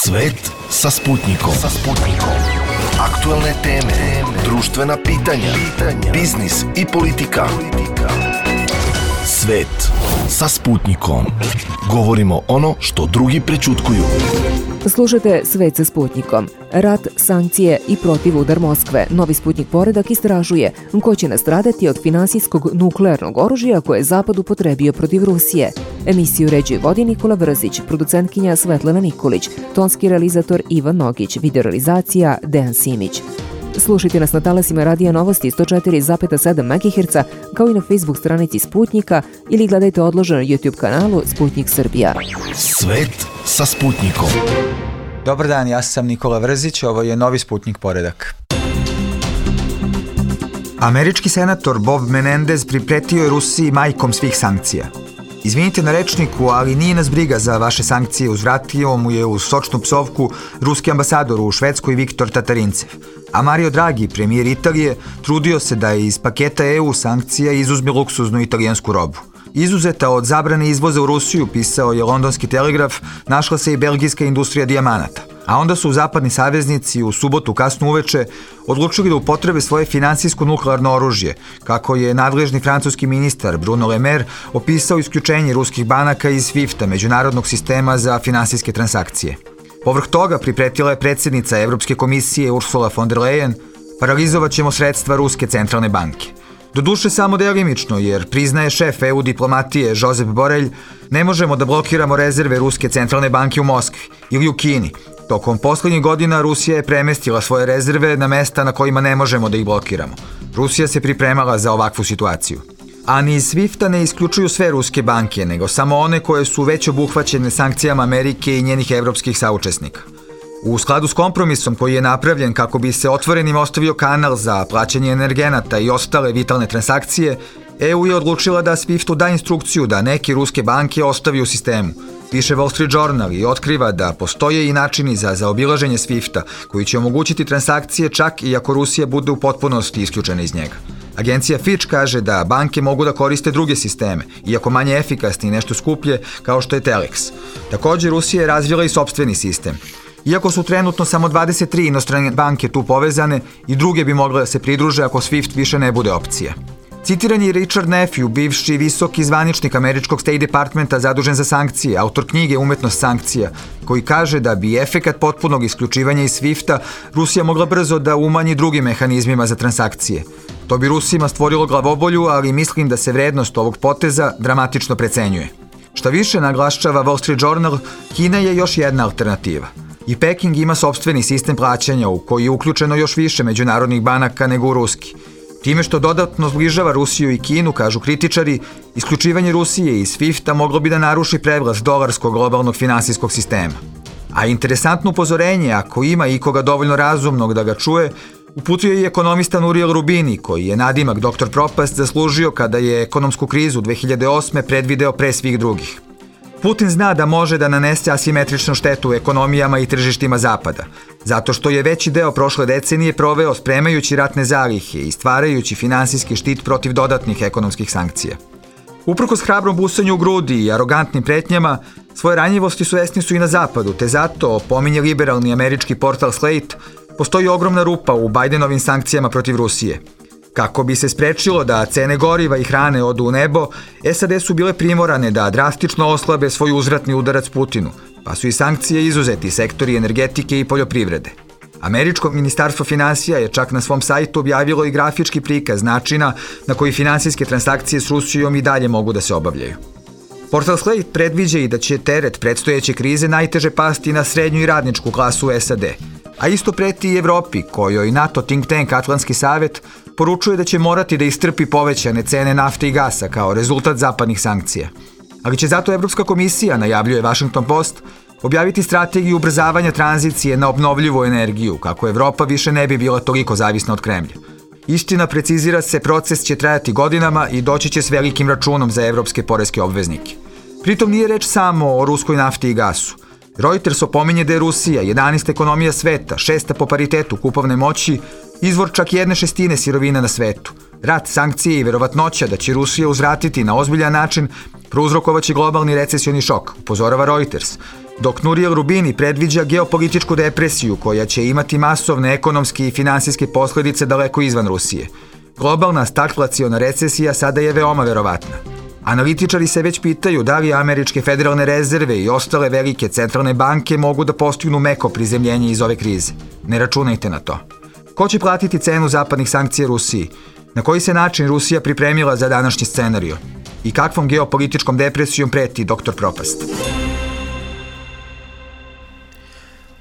Svet sa Sputnikom. Aktuelne teme, društvena pitanja, biznis i politika. Svet sa Sputnikom. Govorimo ono što drugi prećutkuju. Slušajte Svet sa Sputnikom. Rat, sankcije i protivudar Moskve. Novi Sputnik poredak istražuje ko će nastradati od finansijskog nuklearnog oružja koje je Zapad upotrebio protiv Rusije. Emisiju uređuje vodi Nikola Vrzić, producentkinja Svetlana Nikolić, tonski realizator Ivan Nogić, videorealizacija Dejan Simić. Slušajte nas na talasima Radija Novosti 104,7 MHz, kao i na Facebook stranici Sputnika ili gledajte odloženo na YouTube kanalu Sputnik Srbija. Svet sa Sputnikom. Dobar dan, ja sam Nikola Vrzić, ovo je Novi Sputnik poredak. Američki senator Bob Menendez pripretio je Rusiji majkom svih sankcija. Izvinite na rečniku, ali nije nas briga za vaše sankcije, uzvratio mu je uz sočnu psovku ruski ambasador u Švedskoj Viktor Tatarincev. A Mario Draghi, premijer Italije, trudio se da iz paketa EU sankcija izuzme luksuznu italijansku robu. Izuzeta od zabrane izvoza u Rusiju, pisao je londonski Telegraf, našla se i belgijska industrija dijamanata. A onda su zapadni saveznici u subotu kasno uveče odlučili da upotrebe svoje finansijsko nuklearno oružje, kako je nadležni francuski ministar Bruno Le Maire opisao isključenje ruskih banaka iz SWIFT-a, međunarodnog sistema za finansijske transakcije. Povrh toga pripretila je predsjednica Evropske komisije Ursula von der Leyen, paralizovat ćemo sredstva Ruske centralne banke. Doduše samo delimično, jer priznaje šef EU diplomatije Josep Borrell, ne možemo da blokiramo rezerve Ruske centralne banke u Moskvi ili u Kini. Tokom poslednjih godina Rusija je premestila svoje rezerve na mesta na kojima ne možemo da ih blokiramo. Rusija se pripremala za ovakvu situaciju. A ni iz SWIFT-a ne isključuju sve ruske banke, nego samo one koje su već obuhvaćene sankcijama Amerike i njenih evropskih saučesnika. U skladu s kompromisom koji je napravljen kako bi se otvorenim ostavio kanal za plaćanje energenata i ostale vitalne transakcije, EU je odlučila da SWIFT-u da instrukciju da neke ruske banke ostavi u sistemu. Piše Wall Street Journal i otkriva da postoje i načini za zaobilaženje SWIFT-a koji će omogućiti transakcije čak i ako Rusija bude u potpunosti isključena iz njega. Agencija Fitch kaže da banke mogu da koriste druge sisteme, iako manje efikasni i nešto skuplje, kao što je Telex. Također, Rusija je razvila i sopstveni sistem. Iako su trenutno samo 23 inostrane banke tu povezane, i druge bi mogle da se pridruže ako SWIFT više ne bude opcija. Citiran je Richard Nephew, bivši visoki zvaničnik američkog State Departmenta zadužen za sankcije, autor knjige Umetnost sankcija, koji kaže da bi efekat potpunog isključivanja iz SWIFT-a Rusija mogla brzo da umanji drugim mehanizmima za transakcije. To bi Rusima stvorilo glavobolju, ali mislim da se vrednost ovog poteza dramatično precenjuje. Šta više, naglašava Wall Street Journal, Kina je još jedna alternativa. I Peking ima sopstveni sistem plaćanja u koji je uključeno još više međunarodnih banaka nego u ruski. Time što dodatno zbližava Rusiju i Kinu, kažu kritičari, isključivanje Rusije iz SWIFT-a moglo bi da naruši prevlast dolarskog globalnog finansijskog sistema. A interesantno upozorenje, ako ima ikoga dovoljno razumnog da ga čuje, uputio i ekonomista Nuriel Rubini, koji je nadimak Dr. Propast zaslužio kada je ekonomsku krizu 2008. predvideo pre svih drugih. Putin zna da može da nanese asimetričnu štetu ekonomijama i tržištima Zapada, zato što je veći deo prošle decenije proveo spremajući ratne zalihe i stvarajući finansijski štit protiv dodatnih ekonomskih sankcija. Uprkos hrabrom busanju u grudi i arogantnim pretnjama, svoje ranjivosti svesni su i na Zapadu, te zato, pominje liberalni američki portal Slate, postoji ogromna rupa u Bajdenovim sankcijama protiv Rusije. Kako bi se sprečilo da cene goriva i hrane odu u nebo, SAD su bile primorane da drastično oslabe svoj uzvratni udarac Putinu, pa su i sankcije izuzeti sektori energetike i poljoprivrede. Američko ministarstvo finansija je čak na svom sajtu objavilo i grafički prikaz načina na koji finansijske transakcije s Rusijom i dalje mogu da se obavljaju. Portal Slate predviđa i da će teret predstojeće krize najteže pasti na srednju i radničku klasu SAD, a isto preti i Evropi, kojoj NATO think tank Atlantski savet poručuje da će morati da istrpi povećane cene nafte i gasa kao rezultat zapadnih sankcija. Ali će zato Evropska komisija, najavljuje Washington Post, objaviti strategiju ubrzavanja tranzicije na obnovljivu energiju, kako Evropa više ne bi bila toliko zavisna od Kremlja. Istina, precizira se, proces će trajati godinama i doći će s velikim računom za evropske poreske obveznike. Pritom nije reč samo o ruskoj nafti i gasu. Reuters opominje da je Rusija 11. ekonomija sveta, 6. po paritetu kupovne moći, izvor čak 1/6 sirovina na svetu. Rat, sankcije i verovatnoća da će Rusija uzvratiti na ozbiljan način prouzrokovaće globalni recesioni šok, upozorava Reuters. dok Nouriel Roubini predviđa geopolitičku depresiju koja će imati masovne ekonomske i finansijske posljedice daleko izvan Rusije. Globalna stagflaciona recesija sada je veoma verovatna. Analitičari se već pitaju da li američke federalne rezerve i ostale velike centralne banke mogu da postignu meko prizemljenje iz ove krize. Ne računajte na to. Ko će platiti cenu zapadnih sankcija Rusiji? Na koji se način Rusija pripremila za današnji scenario? I kakvom geopolitičkom depresijom preti doktor Propast?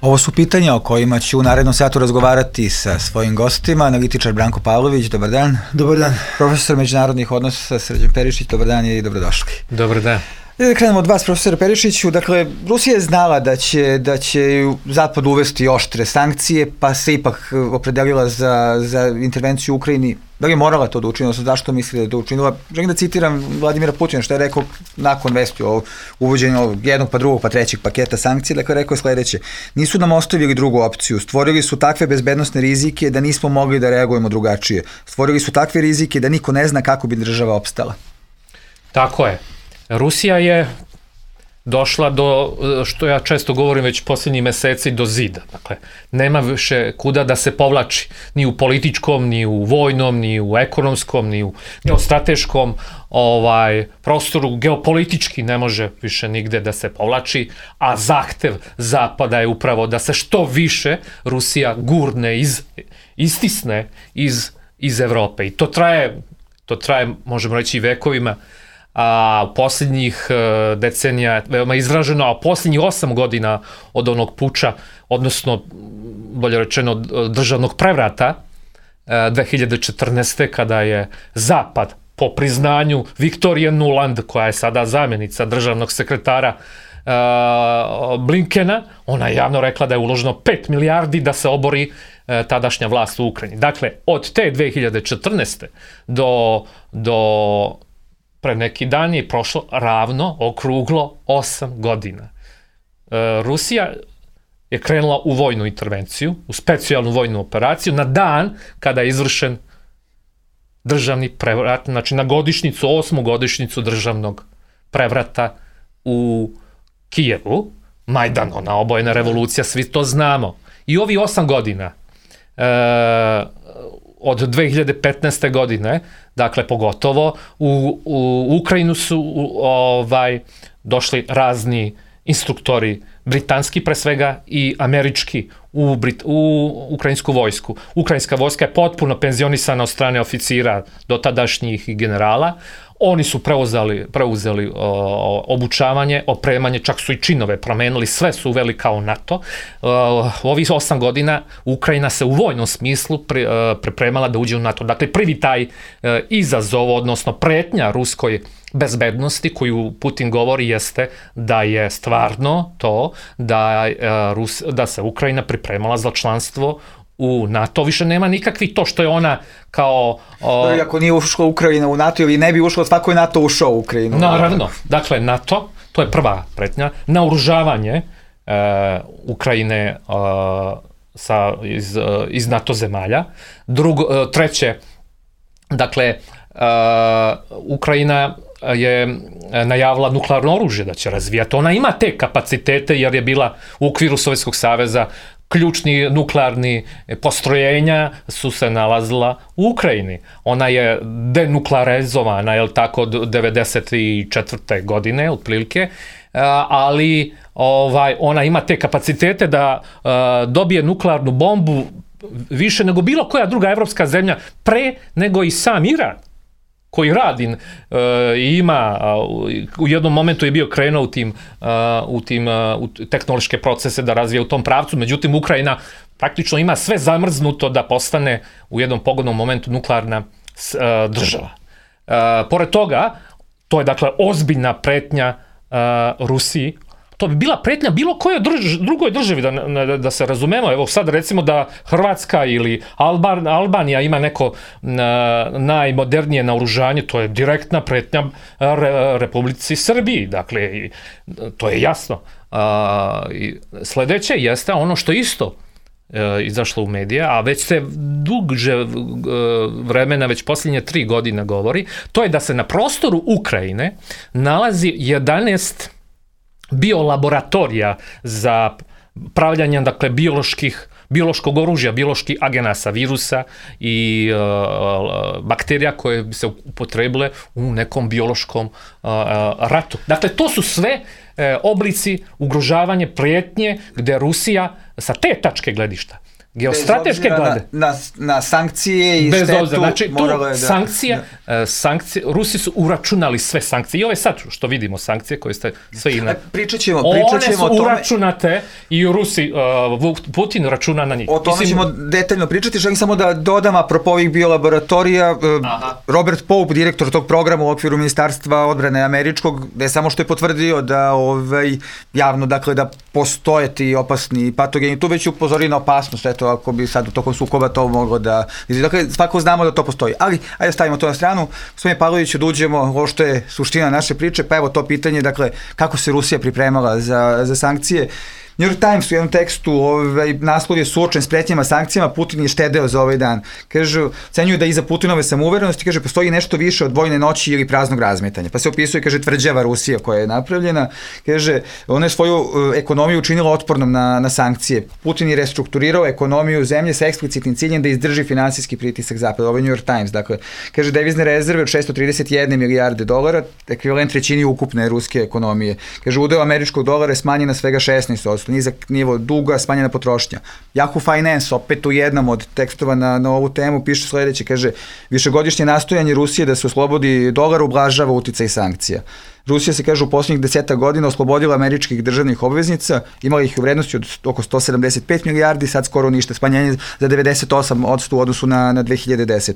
Ovo su pitanja o kojima ću u narednom satu razgovarati sa svojim gostima. Analitičar Branko Pavlović, dobar dan. Dobar dan. Profesor međunarodnih odnosa Srđan Perišić, dobar dan i dobrodošli. Dobar dan. Da krenemo od vas, profesora Perišiću. Dakle, Rusija je znala da će Zapad uvesti oštre sankcije, pa se ipak opredelila za intervenciju u Ukrajini. Da li je morala to da učini, odnosno zašto misli da je to učinila? Želim da citiram Vladimira Putina, što je rekao nakon vesti o uvođenju jednog, pa drugog, pa trećeg paketa sankcija. Dakle, rekao je sledeće: nisu nam ostavili drugu opciju, stvorili su takve bezbednosne rizike da nismo mogli da reagujemo drugačije. Stvorili su takve rizike da niko ne zna kako bi država opstala. Tako je. Rusija je došla do, što ja često govorim već posljednjih meseci, do zida. Dakle, nema više kuda da se povlači, ni u političkom, ni u vojnom, ni u ekonomskom, ni u geostrateškom prostoru. Geopolitički ne može više nigde da se povlači, a zahtev Zapada je upravo da se što više Rusija gurne, istisne iz Evrope. I to traje, možemo reći, i vekovima, a posljednjih decenija veoma izraženo, a posljednjih 8 godina od onog puča, odnosno, bolje rečeno, državnog prevrata 2014. kada je Zapad, po priznanju Viktorije Nuland, koja je sada zamjenica državnog sekretara Blinkena, ona je javno rekla da je uloženo 5 milijardi da se obori tadašnja vlast u Ukrajini. Dakle, od te 2014. do pre neki dan je prošlo ravno, okruglo 8 godina. Rusija je krenula u vojnu intervenciju, u specijalnu vojnu operaciju, na dan kada je izvršen državni prevrat, znači na godišnjicu, 8. godišnjicu državnog prevrata u Kijevu, Majdan, ona obojena revolucija, svi to znamo. I ovi 8 godina, od 2015. godine, dakle pogotovo, u Ukrajinu su došli razni instruktori, britanski pre svega i američki, u ukrajinsku vojsku. Ukrajinska vojska je potpuno penzionisana od strane oficira dotadašnjih i generala. Oni su preuzeli obučavanje, opremanje, čak su i činove promenili, sve su uveli kao NATO. U ovih 8 godina Ukrajina se u vojnom smislu pripremala da uđe u NATO. Dakle, prvi taj izazov, odnosno pretnja ruskoj bezbednosti koju Putin govori jeste da je stvarno to da se Ukrajina pripremala za članstvo u NATO. Više nema nikakvih to što je ona kao... Ako nije ušla Ukrajina u NATO ili ne bi ušla, svako je NATO ušao u Ukrajinu. Naravno. Dakle, NATO, to je prva pretnja, naoružavanje Ukrajine iz NATO zemalja. Treće, dakle, Ukrajina je najavila nuklearno oružje da će razvijati. Ona ima te kapacitete jer je bila u okviru Sovjetskog saveza. Ključni nuklearni postrojenja su se nalazila u Ukrajini. Ona je denuklearizovana, je li tako, od 1994. godine, otprilike, ali ona ima te kapacitete da dobije nuklearnu bombu više nego bilo koja druga evropska zemlja, pre nego i sam Iran, koji radi i ima, u jednom momentu je bio krenuo u tehnološke procese da razvije u tom pravcu, međutim Ukrajina praktično ima sve zamrznuto da postane u jednom pogodnom momentu nuklearna država. Pored toga, to je dakle ozbiljna pretnja Rusiji. To bi bila pretnja bilo kojoj drugoj državi, da se razumemo. Evo sad recimo da Hrvatska ili Albanija ima neko najmodernije naoružanje, to je direktna pretnja Republici Srbiji. Dakle, to je jasno. Sledeće jeste ono što isto izašlo u medije, a već se duže vremena, već posljednje 3 godine govori, to je da se na prostoru Ukrajine nalazi 11 biolaboratorija za pravljanje, dakle, biološkog oružja, bioloških agenasa, virusa i bakterija koje bi se upotrebile u nekom biološkom ratu. Dakle, to su sve oblici ugrožavanja, prijetnje, gde Rusija sa te tačke gledišta, geostrateške glede. Na sankcije i bez štetu. obzira, znači tu sankcije, Rusi su uračunali sve sankcije i ove sad što vidimo sankcije koje ste sve Pričat ćemo one su uračunate i Rusi, Putin računa na njih. O tome ćemo detaljno pričati, želim samo da dodam apropo ovih biolaboratorija, Robert Pope, direktor tog programa u okviru Ministarstva odbrane američkog, da je samo što je potvrdio da javno, dakle, da postoje ti opasni patogeni, tu već upozori na opasnost, eto, ako bi sad u tokom sukoba to moglo da... Dakle, svako znamo da to postoji. Ali, ajde stavimo to na stranu. Gospodine Pavloviću, da uđemo ovo što je suština naše priče, pa evo to pitanje, dakle, kako se Rusija pripremala za sankcije. New York Times u jednom tekstu, naslov je suočen s pretnjama sankcijama, Putin je štedeo za ovaj dan. Kaže, cenjuju da iza Putinove samouverenosti, kaže, postoji nešto više od vojne noći ili praznog razmetanja. Pa se opisuje, kaže, tvrđava Rusija koja je napravljena. Kaže, ona je svoju ekonomiju učinila otpornom na sankcije. Putin je restrukturirao ekonomiju zemlje sa eksplicitnim ciljem da izdrži finansijski pritisak zapada. Ovo je New York Times. Dakle, kaže, devizne rezerve od 631 milijarde dolara, ekvivalent trećini ukupne ruske ekonomije. Kaže, udeo američkog dolara je smanjen na svega 16%. Nizak nivo duga, smanjena potrošnja. Yahoo Finance, opet u jednom od tekstova na ovu temu, piše sledeće, kaže, višegodišnje nastojanje Rusije da se oslobodi dolar ublažava uticaj sankcija. Rusija se, kaže, u posljednjih 10 godina oslobodila američkih državnih obveznica, imala ih u vrednosti od oko 175 milijardi, sad skoro ništa, smanjenje za 98% u odnosu na 2010.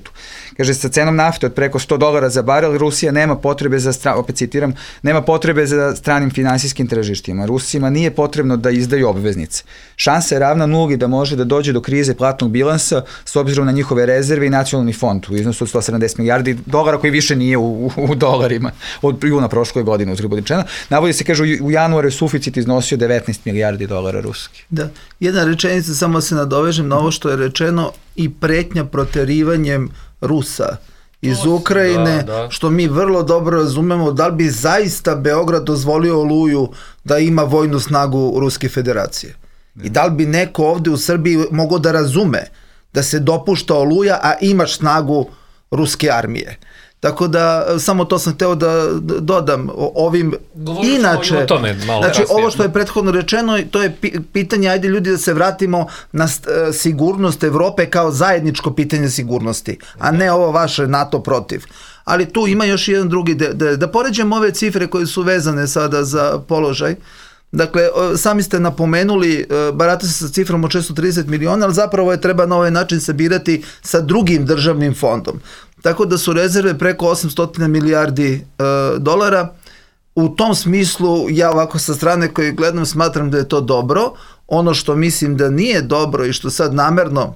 Kaže, sa cenom nafte od preko $100 za barel, Rusija nema potrebe opet citiram, nema potrebe za stranim finansijskim tržištima. Rusima nije potrebno da izdaju obveznice. Šansa je ravna nuli da može da dođe do krize platnog bilansa s obzirom na njihove rezerve i nacionalni fond u iznosu od 170 milijardi dolara koji više nije u dolarima od juna prošle godine uzgred rečeno. Navodi se, kaže, u januaru je suficit iznosio 19 milijardi dolara ruski. Da, jedna rečenica, samo se nadovežem na ovo što je rečeno, i pretnja proterivanjem Rusa iz Ukrajine, što mi vrlo dobro razumemo, da li bi zaista Beograd dozvolio Oluju da ima vojnu snagu Ruske federacije. I da li bi neko ovde u Srbiji mogao da razume da se dopušta Oluja, a imaš snagu ruske armije. Tako da, samo to sam hteo da dodam ovim. Inače, znači ovo što je prethodno rečeno, to je pitanje, ajde ljudi da se vratimo na sigurnost Evrope kao zajedničko pitanje sigurnosti, a ne ovo vaše NATO protiv. Ali tu ima još jedan drugi, da poređemo ove cifre koje su vezane sada za položaj. Dakle, sami ste napomenuli, barata se sa cifrom od 630 miliona, ali zapravo je treba na ovaj način sabirati sa drugim državnim fondom. Tako da su rezerve preko 800 milijardi dolara. U tom smislu, ja ovako sa strane koje gledam smatram da je to dobro. Ono što mislim da nije dobro i što sad namerno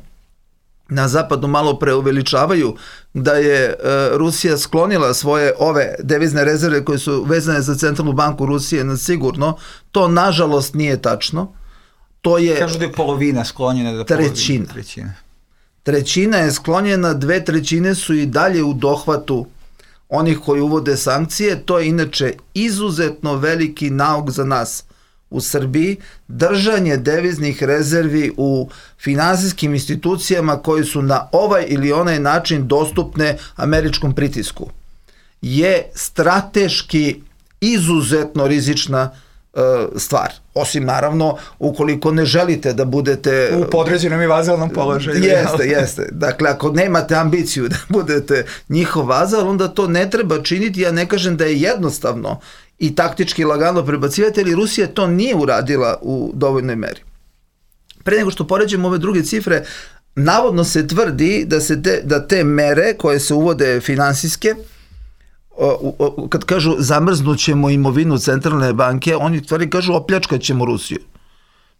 na zapadu malo preuveličavaju, da je Rusija sklonila svoje ove devizne rezerve koje su vezane za Centralnu banku Rusije na sigurno, to nažalost nije tačno. To je... Kažu da je polovina sklonjena. Trećina je sklonjena, 2/3 su i dalje u dohvatu onih koji uvode sankcije. To je inače izuzetno veliki nauk za nas u Srbiji, držanje deviznih rezervi u finansijskim institucijama koji su na ovaj ili onaj način dostupne američkom pritisku je strateški izuzetno rizična stvar. Osim naravno ukoliko ne želite da budete u podređenom i vazalnom položaju. Jeste. Dakle, ako nemate ambiciju da budete njihov vazal, onda to ne treba činiti. Ja ne kažem da je jednostavno i taktički lagano prebacivati, ali Rusija to nije uradila u dovoljnoj meri. Pre nego što poređemo ove druge cifre, navodno se tvrdi da te mere koje se uvode finansijske, kad kažu zamrznućemo imovinu Centralne banke, oni tvrdi kažu opljačkat ćemo Rusiju.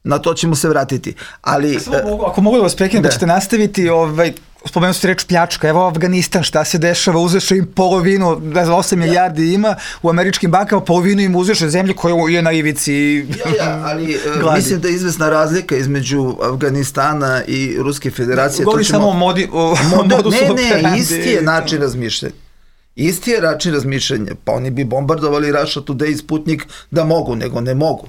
Na to ćemo se vratiti. Ali, ako mogu da vas prekinem, da ćete nastaviti, spomenuo ste reč pljačka, evo Afganistan, šta se dešava, uzeše im polovinu, 8 milijardi ima u američkim bankama, polovinu im uzeše zemlje koja je na ivici ali mislim da je izvesna razlika između Afganistana i Ruske federacije. Govori samo o modusu operandi. Ne, isti je način razmišljanja. Isti je način razmišljanja, pa oni bi bombardovali Russia Today i Sputnik da mogu, nego ne mogu.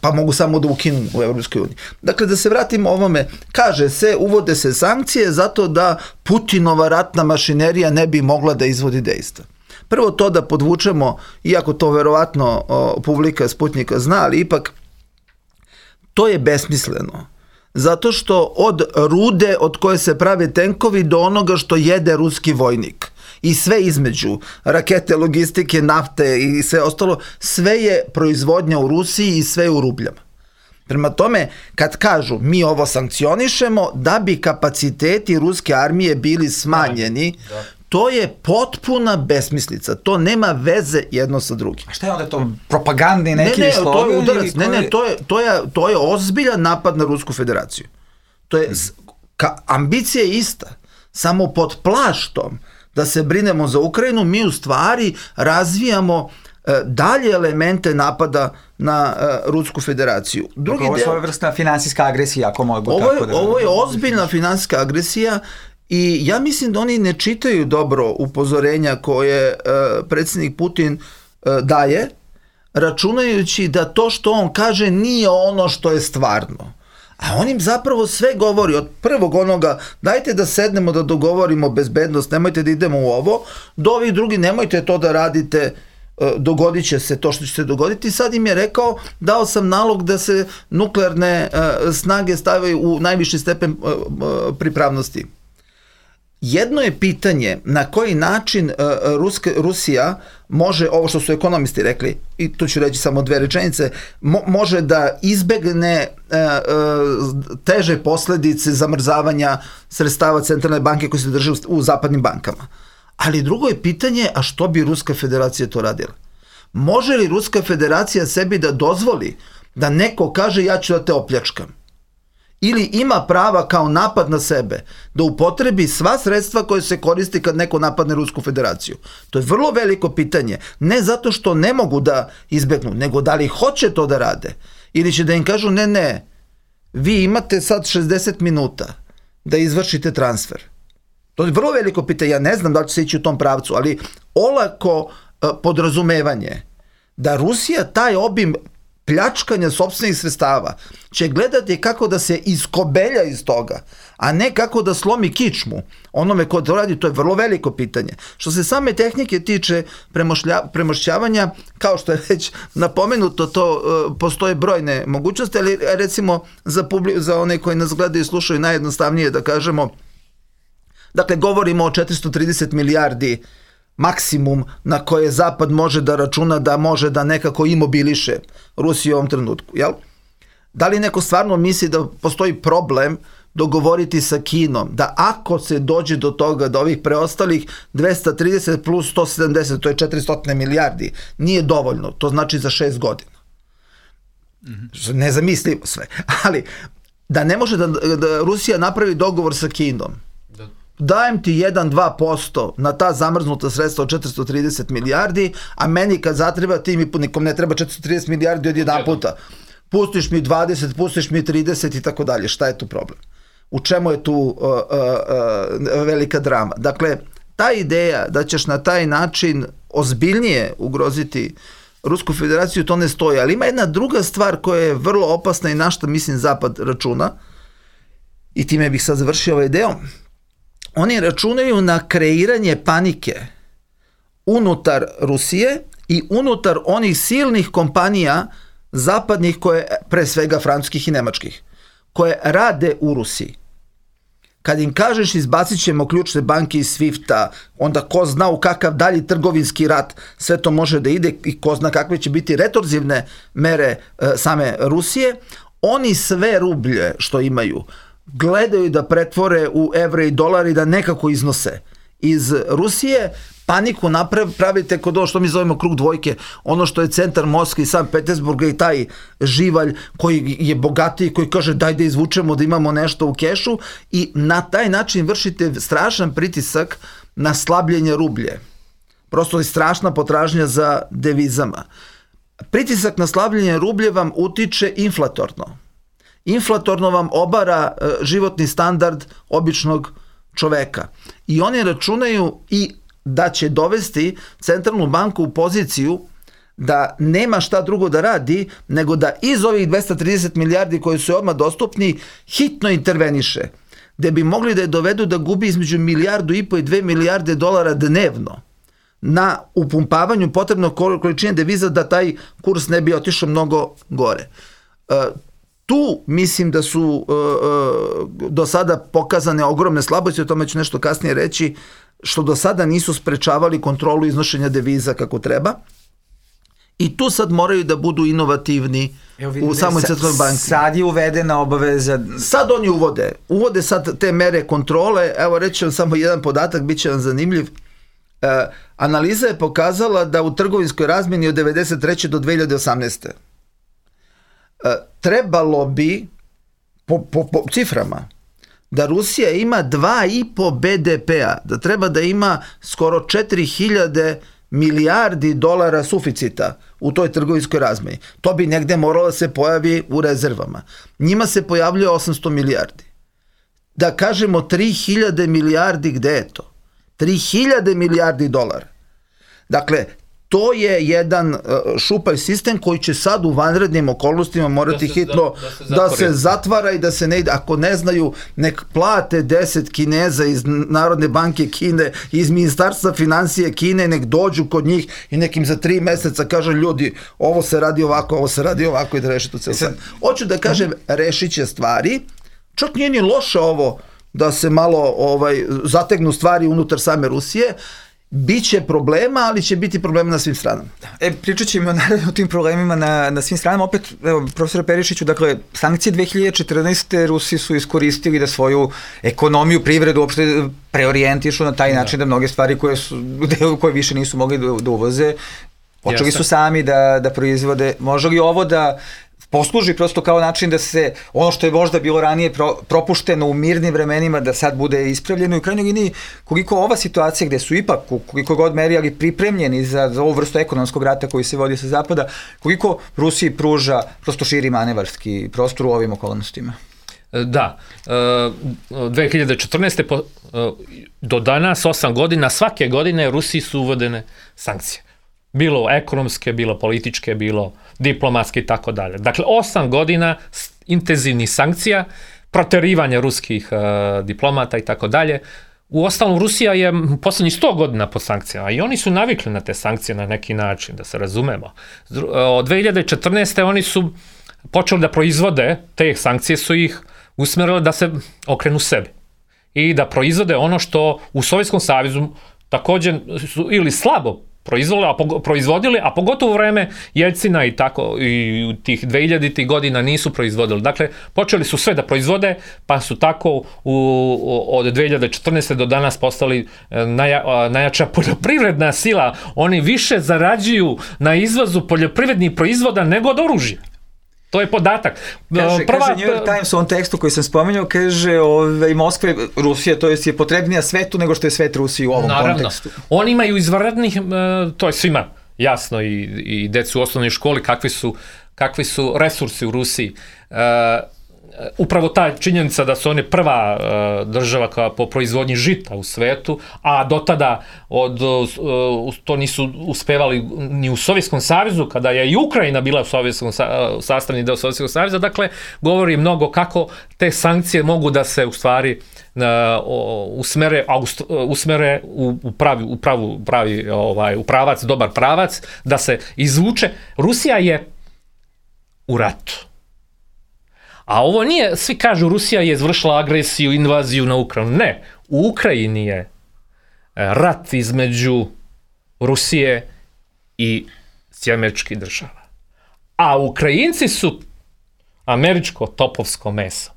Pa mogu samo da ukinu u Evropskoj uniji. Dakle, da se vratimo ovome, kaže se, uvode se sankcije zato da Putinova ratna mašinerija ne bi mogla da izvodi dejstva. Prvo to da podvučemo, iako to verovatno publika Sputnika zna, ali ipak to je besmisleno. Zato što od rude od koje se prave tenkovi do onoga što jede ruski vojnik i sve između, rakete, logistike, nafte i sve ostalo, sve je proizvodnja u Rusiji i sve je u rubljama. Prema tome, kad kažu mi ovo sankcionišemo da bi kapaciteti ruske armije bili smanjeni, to je potpuna besmislica. To nema veze jedno sa drugim. A šta je onda to? Propagandni neki slogan? To je udarac. To je ozbiljan napad na Rusku federaciju. To je, ambicija je ista. Samo pod plaštom da se brinemo za Ukrajinu, mi u stvari razvijamo dalje elemente napada na Rusku federaciju. Ovo je svojevrsna finansijska agresija, ako mogu tako da... Ovo je ozbiljna finansijska agresija i ja mislim da oni ne čitaju dobro upozorenja koje predsjednik Putin daje, računajući da to što on kaže nije ono što je stvarno. A on im zapravo sve govori, od prvog onoga, dajte da sednemo da dogovorimo bezbednost, nemojte da idemo u ovo, do ovih drugi, nemojte to da radite, dogodit će se to što će se dogoditi. Sad im je rekao, dao sam nalog da se nuklearne snage stavaju u najviši stepen pripravnosti. Jedno je pitanje na koji način Rusija može, ovo što su ekonomisti rekli, i tu ću reći samo dve rečenice, može da izbegne teže posledice zamrzavanja sredstava centralne banke koji se drže u zapadnim bankama. Ali drugo je pitanje, a što bi Ruska federacija to radila? Može li Ruska federacija sebi da dozvoli da neko kaže ja ću da te opljačkam? Ili ima prava kao napad na sebe da upotrebi sva sredstva koje se koristi kad neko napadne Rusku federaciju? To je vrlo veliko pitanje. Ne zato što ne mogu da izbegnu, nego da li hoće to da rade. Ili će da im kažu ne, vi imate sad 60 minuta da izvršite transfer. To je vrlo veliko pitanje. Ja ne znam da li će se ići u tom pravcu, ali olako podrazumevanje da Rusija taj obim pljačkanja sopstvenih sredstava će gledati kako da se iskobelja iz toga, a ne kako da slomi kičmu onome ko to radi. To je vrlo veliko pitanje. Što se same tehnike tiče premošćavanja, kao što je već napomenuto, to postoje brojne mogućnosti, ali recimo za one koji nas gledaju i slušaju najjednostavnije da kažemo, dakle govorimo o 430 milijardi maksimum na koje Zapad može da računa da može da nekako imobiliše Rusiju u ovom trenutku. Jel? Da li neko stvarno misli da postoji problem dogovoriti sa Kinom da ako se dođe do toga da ovih preostalih 230 plus 170, to je 400 milijardi, nije dovoljno, to znači za 6 godina. Nezamislivo sve. Ali da ne može da Rusija napravi dogovor sa Kinom, dajem ti 1-2% na ta zamrznuta sredstva od 430 milijardi, a meni kad zatreba, ti mi nikom ne treba 430 milijardi od jedan puta. Pustiš mi 20, pustiš mi 30 i tako dalje. Šta je tu problem? U čemu je tu velika drama? Dakle, ta ideja da ćeš na taj način ozbiljnije ugroziti Rusku federaciju, to ne stoji. Ali ima jedna druga stvar koja je vrlo opasna i na što mislim Zapad računa, i time bih sad završio ovaj deo. Oni računaju na kreiranje panike unutar Rusije i unutar onih silnih kompanija zapadnih, koje, pre svega francuskih i nemačkih, koje rade u Rusiji. Kad im kažeš izbacit ćemo ključne banke iz SWIFT-a, onda ko zna u kakav dalji trgovinski rat sve to može da ide i ko zna kakve će biti retorzivne mere same Rusije, oni sve rublje što imaju gledaju da pretvore u evre i dolari, da nekako iznose iz Rusije. Paniku pravite kod ovo što mi zovemo krug dvojke, ono što je centar Moskve i Sankt Petersburga i taj živalj koji je bogatiji, koji kaže daj da izvučemo da imamo nešto u kešu, i na taj način vršite strašan pritisak na slabljenje rublje. Prosto je strašna potražnja za devizama. Pritisak na slabljenje rublje vam utiče inflatorno. Inflatorno vam obara životni standard običnog čoveka. I oni računaju, i da će dovesti centralnu banku u poziciju da nema šta drugo da radi, nego da iz ovih 230 milijardi koji su odmah dostupni, hitno interveniše, gde bi mogli da je dovedu da gubi između 1,5 milijardu i 2 milijarde dolara dnevno na upumpavanju potrebnog količine deviza da taj kurs ne bi otišao mnogo gore. Tu mislim da su do sada pokazane ogromne slabosti, o tome ću nešto kasnije reći, što do sada nisu sprečavali kontrolu iznošenja deviza kako treba. I tu sad moraju da budu inovativni u samoj centralnoj banci. Sad je uvedena obaveza... Sad oni uvode sad te mere kontrole. Evo reći vam samo jedan podatak, bit će vam zanimljiv. Analiza je pokazala da u trgovinskoj razmjeni od 1993. do 2018. Trebalo bi, po ciframa, da Rusija ima 2,5 BDP-a, da treba da ima skoro 4.000 milijardi dolara suficita u toj trgovinskoj razmeni. To bi negde moralo da se pojavi u rezervama. Njima se pojavljuje 800 milijardi. Da kažemo 3.000 milijardi, gde je to? 3.000 milijardi dolara. Dakle, to je jedan šupalj sistem koji će sad u vanrednim okolnostima morati hitno da se zatvara i da se ne ide. Ako ne znaju, nek plate 10 Kineza iz Narodne banke Kine, iz Ministarstva financije Kine, nek dođu kod njih i nekim za 3 meseca kažu ljudi, ovo se radi ovako i da reši to celo sad. Hoću da kažem, rešit će stvari. Čak nije ni loše ovo da se malo zategnu stvari unutar same Rusije. Biće problema, ali će biti problema na svim stranama. Pričat ćemo naravno o tim problemima na svim stranama. Opet, profesor Perišiću, dakle, sankcije 2014. Rusi su iskoristili da svoju ekonomiju, privredu uopšte preorijentišu na taj način da mnoge stvari koje više nisu mogli da uvoze, počeli su sami da proizvode. Može li ovo da posluži prosto kao način da se ono što je možda bilo ranije propušteno u mirnim vremenima da sad bude ispravljeno i u krajnjoj liniji koliko ova situacija gde su ipak koliko god meri ali pripremljeni za ovu vrstu ekonomskog rata koji se vodi sa zapada, koliko Rusiji pruža prosto širi manevarski prostor u ovim okolnostima? Da, 2014. do danas 8 godina, svake godine Rusiji su uvedene sankcije. Bilo ekonomske, bilo političke, bilo diplomatske i tako dalje. Dakle, 8 godina intenzivnih sankcija, proterivanja ruskih diplomata i tako dalje. U ostalom, Rusija je poslednjih 100 godina pod sankcijama i oni su navikli na te sankcije na neki način, da se razumemo. Od 2014. oni su počeli da proizvode, te sankcije su ih usmerile da se okrenu sebi i da proizvode ono što u Sovjetskom savezu također su ili slabo proizvodili, a pogotovo u vreme Jeljcina i tako i tih 2000-ih godina nisu proizvodili. Dakle, počeli su sve da proizvode, pa su tako od 2014. do danas postali najjača poljoprivredna sila. Oni više zarađuju na izvozu poljoprivrednih proizvoda nego od oružja. To je podatak. Kaže New York Times u ovom tekstu koji sam spomenuo, kaže Moskva, Rusija, to je potrebnija svetu nego što je svet Rusiji u ovom kontekstu. Oni imaju izvanrednih, to je svima jasno i decu u osnovnoj školi kakvi su resursi u Rusiji. Upravo ta činjenica da su oni prva država po proizvodnji žita u svetu, a do tada to nisu uspevali ni u Sovjetskom savezu, kada je i Ukrajina bila sastavni deo Sovjetskog saveza, dakle, govori mnogo kako te sankcije mogu da se u stvari usmere u pravac, dobar pravac, da se izvuče. Rusija je u ratu. A ovo nije, svi kažu Rusija je izvršila agresiju, invaziju na Ukrajinu. Ne, u Ukrajini je rat između Rusije i Američkih država. A Ukrajinci su američko topovsko meso.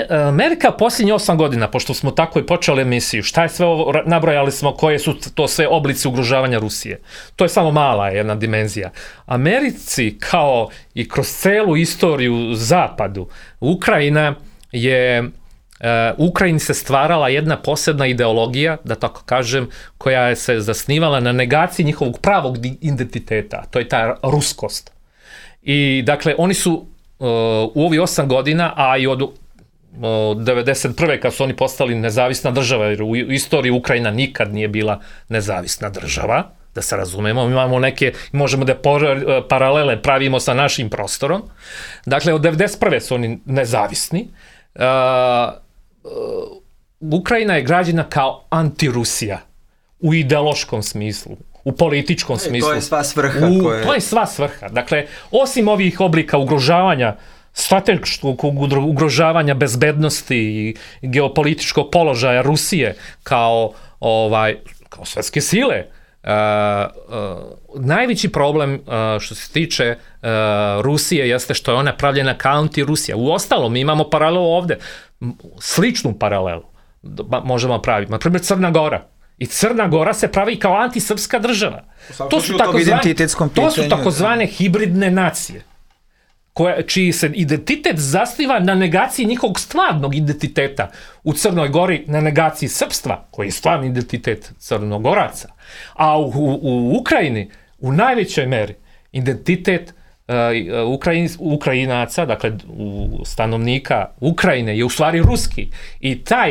Amerika posljednjih 8 godina, pošto smo tako i počeli emisiju, šta je sve ovo, nabrojali smo koje su to sve oblici ugrožavanja Rusije. To je samo mala jedna dimenzija. Americi, kao i kroz celu istoriju zapadu, Ukrajini se stvarala jedna posebna ideologija, da tako kažem, koja je se zasnivala na negaciji njihovog pravog identiteta. To je ta ruskost. I dakle, oni su u ovih 8 godina, a i od 1991. kad su oni postali nezavisna država, jer u istoriji Ukrajina nikad nije bila nezavisna država, da se razumemo, imamo neke, možemo da paralele pravimo sa našim prostorom. Dakle, od 1991. su oni nezavisni. Ukrajina je građena kao anti-Rusija u ideološkom smislu, u političkom smislu. To je sva svrha. To je sva svrha. Dakle, osim ovih oblika ugrožavanja, strateškog ugrožavanja bezbednosti i geopolitičkog položaja Rusije kao svetske sile, najveći problem što se tiče Rusije jeste što je ona pravljena kao anti-Rusija. Uostalom, mi imamo paralelu ovde, sličnu paralelu možemo praviti. Na primjer, Crna Gora. I Crna Gora se pravi kao antisrpska država. To su takozvane hibridne nacije, čiji se identitet zasniva na negaciji njihovog stvarnog identiteta. U Crnoj Gori na negaciji srpstva, koji je stvarni identitet Crnogoraca. A u Ukrajini, u najvećoj meri, identitet Ukrajinaca, dakle stanovnika Ukrajine, je u stvari ruski. I ta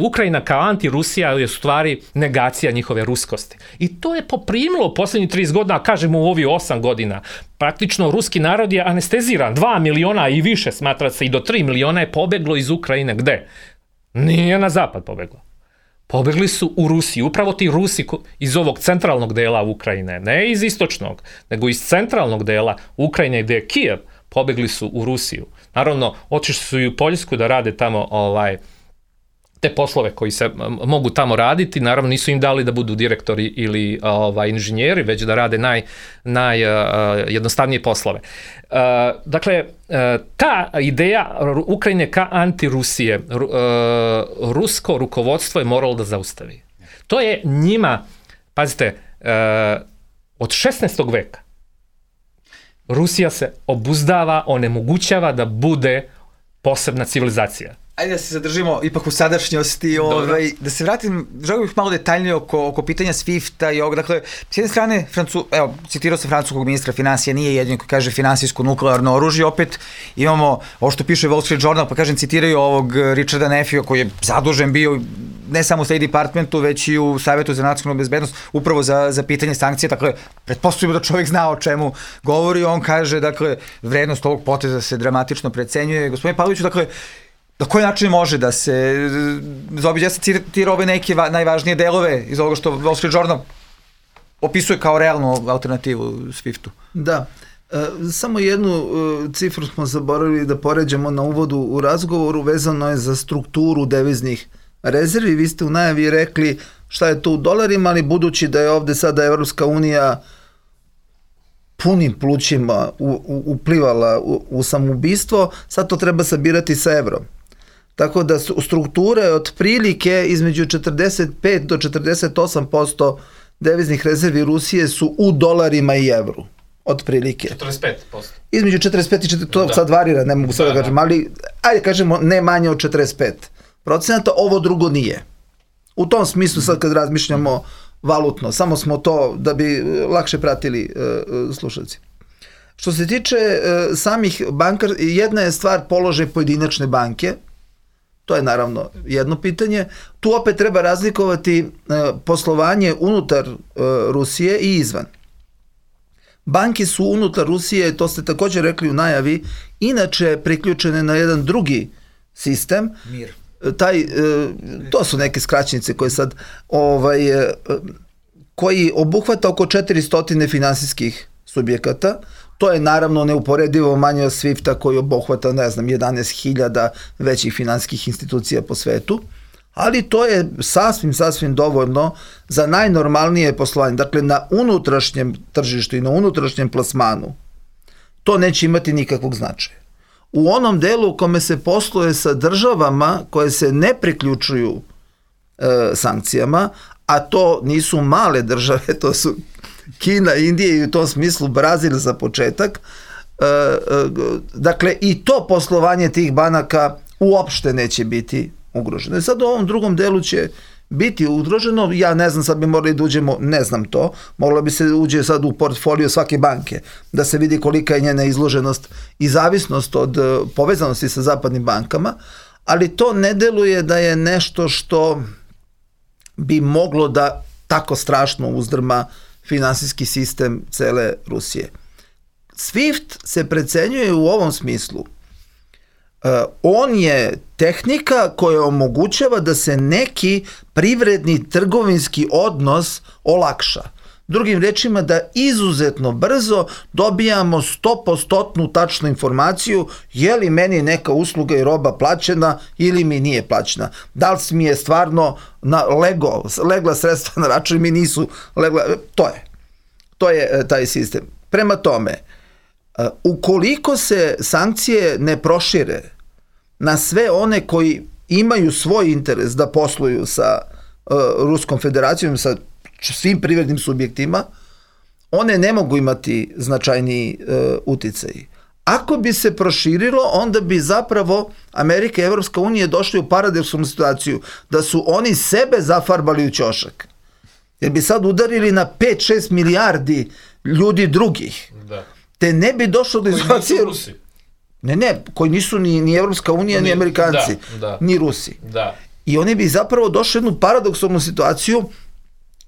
Ukrajina kao anti-Rusija je u stvari negacija njihove ruskosti. I to je poprimilo posljednjih 30 godina, kažemo u ovih 8 godina. Praktično ruski narod je anesteziran. 2 miliona i više, smatra se, i do 3 miliona je pobeglo iz Ukrajine. Gde? Nije na zapad pobeglo. Pobegli su u Rusiju. Upravo ti Rusi iz ovog centralnog dela Ukrajine, ne iz istočnog, nego iz centralnog dela Ukrajine gde je Kijev, pobegli su u Rusiju. Naravno, otišli su i u Poljsku da rade tamo te poslove koji se mogu tamo raditi, naravno nisu im dali da budu direktori ili inženjeri, već da rade najjednostavnije poslove. Dakle, ta ideja Ukrajine ka anti-Rusije, rusko rukovodstvo je moralo da zaustavi. To je njima, pazite, od 16. veka Rusija se obuzdava, onemogućava da bude posebna civilizacija. Ajde da se zadržimo ipak u sadašnjosti, da se vratim, želim bih malo detaljnije oko pitanja SWIFT-a i ovog, dakle, s jedne strane, citirao sam francuskog ministra financija, nije jedin koji kaže finansijsko nuklearno oružje, opet imamo ovo što piše Wall Street Journal, pa kažem, citiraju ovog Richarda Neffija koji je zadužen bio ne samo u State Departmentu, već i u Savetu za nacionalnu bezbednost, upravo za pitanje sankcije, dakle, pretpostavljamo da čovjek zna o čemu govori, on kaže, dakle, vrednost ovog poteza se dramatično precenjuje. Gospodine Pavloviću, dakle, na koji način može da se zaobiđe, ja sam citirao ove neke najvažnije delove iz ovoga što Wall Street Journal opisuje kao realnu alternativu SWIFT-u? Da, samo jednu cifru smo zaboravili da poređamo na uvodu u razgovoru, vezano je za strukturu deviznih rezervi. Vi ste u najavi rekli šta je to u dolarima, ali budući da je ovde sada Evropska unija punim plućima uplivala u samoubistvo, sad to treba sabirati sa evrom. Tako da strukture otprilike između 45 do 48% deviznih rezervi Rusije su u dolarima i evru. Otprilike. 45%. Između 45 i 40%, to sad varira, ne mogu sad da kažem, ali ajde kažemo ne manje od 45%, ovo drugo nije. U tom smislu sad kad razmišljamo valutno, samo smo to da bi lakše pratili slušalci. Što se tiče samih bankar, jedna je stvar položaj pojedinačne banke, to je naravno jedno pitanje. Tu opet treba razlikovati poslovanje unutar Rusije i izvan. Banke su unutar Rusije, to ste također rekli u najavi, inače priključene na jedan drugi sistem. Mir. To su neke skraćenice koje sad koji obuhvata oko 400 finansijskih subjekata. To je naravno neuporedivo manje od SWIFT-a koji obuhvata, 11.000 većih finansijskih institucija po svetu, ali to je sasvim dovoljno za najnormalnije poslovanje. Dakle, na unutrašnjem tržištu i na unutrašnjem plasmanu to neće imati nikakvog značaja. U onom delu u kome se posluje sa državama koje se ne priključuju sankcijama, a to nisu male države, to su Kina, Indija i u tom smislu Brazil za početak, dakle i to poslovanje tih banaka uopšte neće biti ugroženo. Sad u ovom drugom delu će biti ugroženo. Ja ne znam, sad bi morali da uđemo, ne znam to, moralo bi se uđe sad u portfolio svake banke, da se vidi kolika je njena izloženost i zavisnost od povezanosti sa zapadnim bankama, ali to ne deluje da je nešto što bi moglo da tako strašno uzdrma finansijski sistem cele Rusije. SWIFT se precenjuje u ovom smislu. On je tehnika koja omogućava da se neki privredni trgovinski odnos olakša. Drugim rečima, da izuzetno brzo dobijamo 100% tačnu informaciju je li meni neka usluga i roba plaćena ili mi nije plaćena. Da li mi je stvarno legla sredstva na račun, mi nisu legla. To je taj sistem. Prema tome, ukoliko se sankcije ne prošire na sve one koji imaju svoj interes da posluju sa Ruskom federacijom, sa svim privrednim subjektima, one ne mogu imati značajniji uticaj. Ako bi se proširilo, onda bi zapravo Amerika i Evropska unija došli u paradoksalnu situaciju da su oni sebe zafarbali u ćošak. Jer bi sad udarili na 5-6 milijardi ljudi drugih. Da. Te ne bi došlo do izolacije. Koji nisu Rusi. Ne, koji nisu ni Evropska unija, ni Amerikanci, ni Rusi. Da. I oni bi zapravo došli u jednu paradoksalnu situaciju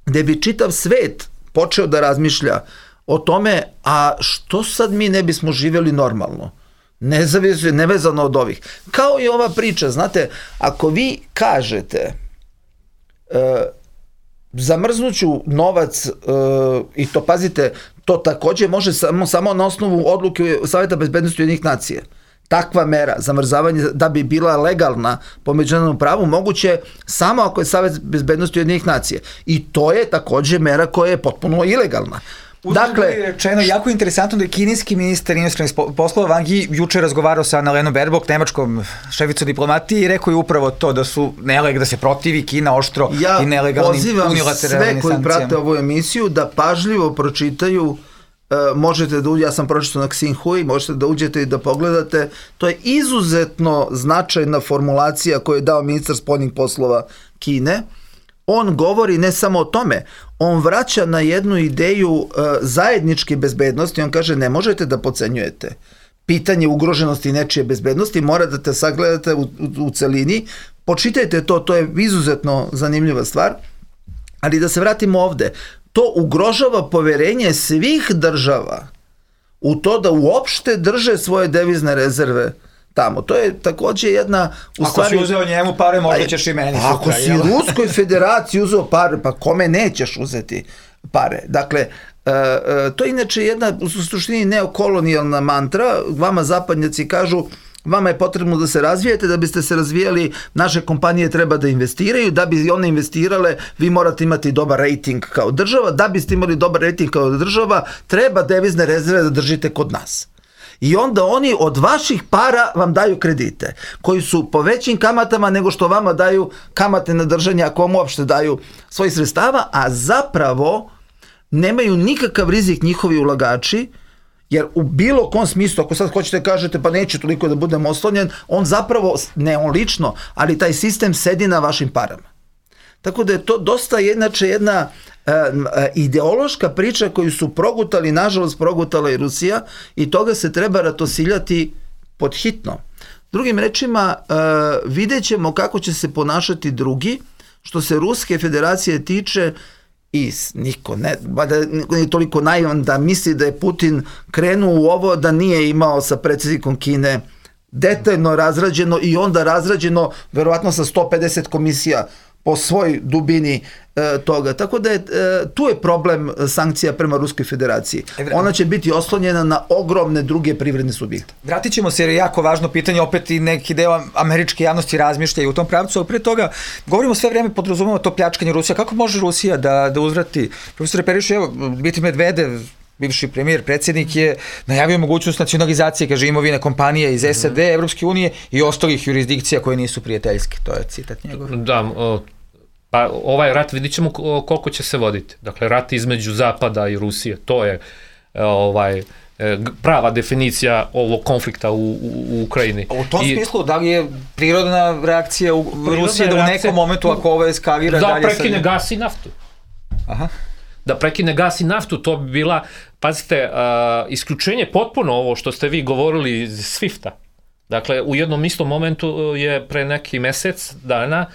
gde bi čitav svet počeo da razmišlja o tome, a što sad mi ne bismo živjeli normalno, nevezano od ovih. Kao i ova priča, znate, ako vi kažete zamrznuću novac, i to pazite, to takođe može samo na osnovu odluke Saveta bezbednosti Ujedinjenih nacija. Takva mera, zamrzavanje, da bi bila legalna po međunarodnom pravu, moguće samo ako je Savet bezbednosti Ujedinjenih nacija. I to je takođe mera koja je potpuno ilegalna. Dakle, rečeno, jako interesantno da je kineski ministar inostranih poslova Wang Yi juče razgovarao sa Annalenom Baerbock, nemačkom šeficom diplomatije, i rekao je upravo to, da se protivi Kina oštro i nelegalnim unilateralnim sankcijama. Ja pozivam sve koji prate ovu emisiju da pažljivo pročitaju, možete da ja sam pročitao na Xinhui, možete da uđete i da pogledate, to je izuzetno značajna formulacija koju je dao ministar spoljnih poslova Kine. On govori ne samo o tome, on vraća na jednu ideju zajedničke bezbednosti, on kaže ne možete da podcenjujete pitanje ugroženosti nečije bezbednosti, morate da sagledate u celini, počitajte to je izuzetno zanimljiva stvar, ali da se vratimo ovde, to ugrožava poverenje svih država u to da uopšte drže svoje devizne rezerve tamo. To je takođe jedna... Ako si uzeo njemu pare, možda ćeš i meni sutra. Ako si Ruskoj federaciji uzeo pare, pa kome nećeš uzeti pare? Dakle, to je inače jedna u suštini neokolonijalna mantra. Vama zapadnjaci kažu, vama je potrebno da se razvijete, da biste se razvijali, naše kompanije treba da investiraju, da bi one investirale, vi morate imati dobar rating kao država, da biste imali dobar rating kao država, treba devizne rezerve da držite kod nas. I onda oni od vaših para vam daju kredite, koji su po većim kamatama nego što vama daju kamate na držanje, ako vam uopšte daju svojih sredstava, a zapravo nemaju nikakav rizik njihovi ulagači, jer u bilo kom smislu, ako sad hoćete kažete pa neće toliko da budem oslonjen, on zapravo, ne on lično, ali taj sistem sedi na vašim parama. Tako da je to dosta jedna ideološka priča koju su progutali, nažalost progutala i Rusija, i toga se treba ratosiljati pod hitno. Drugim rečima, vidjet ćemo kako će se ponašati drugi. Što se Ruske federacije tiče, i niko nije toliko naivan da misli da je Putin krenuo u ovo, da nije imao sa predsjednikom Kine detaljno razrađeno i onda razrađeno verovatno sa 150 komisija po svoj dubini toga. Tako da tu je problem sankcija prema Ruskoj federaciji. Ona će biti oslonjena na ogromne druge privredne subjekte. Vratit ćemo se, jer je jako važno pitanje, opet i neki deo američke javnosti razmišlja u tom pravcu, ali pre toga govorimo sve vreme, podrazumemo to pljačkanje Rusija. Kako može Rusija da uzvrati? Profesore Perišu, evo, Dmitrij Medvedev, bivši premijer, predsjednik, je najavio mogućnost nacionalizacije, kaže, imovine kompanije iz SAD, Evropske unije i ostalih jurisdikcija koje nisu prijateljske. To je citat njegov. Da, pa ovaj rat vidit ćemo koliko će se voditi. Dakle, rat između Zapada i Rusije, to je prava definicija ovog konflikta u Ukrajini. U tom smislu, da li je prirodna reakcija Rusije da u nekom momentu, ako ovo eskalira dalje... Da prekine gas i naftu. Aha. Da prekine gas i naftu, to bi bila, pazite, isključenje potpuno ovo što ste vi govorili iz SWIFT-a. Dakle, u jednom istom momentu je pre neki mesec dana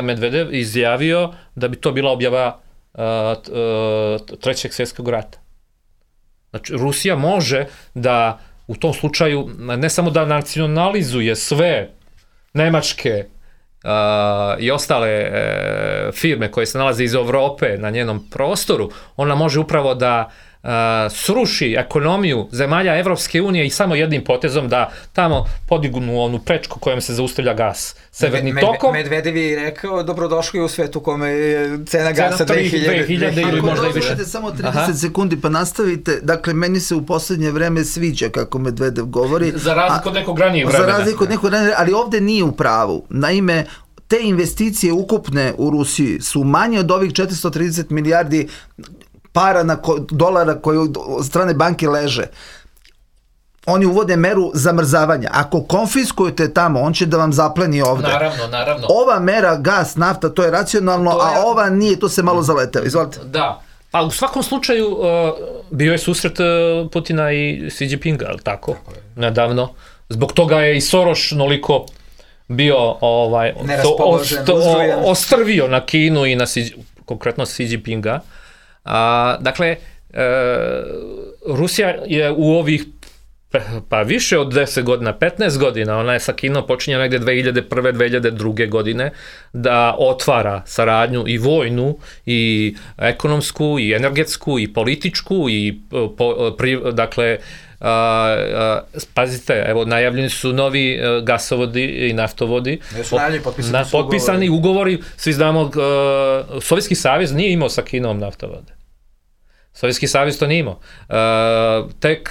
Medvedev izjavio da bi to bila objava Trećeg svjetskog rata. Znači, Rusija može da u tom slučaju ne samo da nacionalizuje sve nemačke i ostale firme koje se nalaze iz Evrope na njenom prostoru, ona može upravo da sruši ekonomiju zemalja Evropske unije i samo jednim potezom da tamo podignu onu prečku kojom se zaustavlja gas. Severni tokom... Medvedev je rekao dobrodošli u svetu kome je cena gasa 2000 ili možda i više. Ako samo 30 sekundi pa nastavite, dakle meni se u poslednje vreme sviđa kako Medvedev govori. Za razliku od nekog ranijeg vremena. Za razliku od nekog ranijeg, ali ovde nije u pravu. Naime, te investicije ukupne u Rusiji su manje od ovih 430 milijardi dolara koje od strane banke leže. Oni uvode meru zamrzavanja. Ako konfiskujete tamo, on će da vam zapleni ovde. Naravno. Ova mera, gas, nafta, to je racionalno, a ova nije, to se malo zaleteo. Izvolite. Da. Pa u svakom slučaju bio je susret Putina i Xi Jinpinga, ali tako? Nedavno. Zbog toga je i Soros noliko bio ostrvio na Kinu i na konkretno Xi Jinpinga. Dakle, Rusija je u ovih pa više od 10 godina, 15 godina, ona je sa Kinom počinja negde 2001. 2002. godine da otvara saradnju i vojnu, i ekonomsku, i energetsku, i političku, i dakle, pazite, evo, najavljeni su novi gasovodi i naftovodi. Potpisani ugovori, svi znamo, Sovjetski savez nije imao sa Kinom naftovode. Sovjetski savez to nije imao. Tek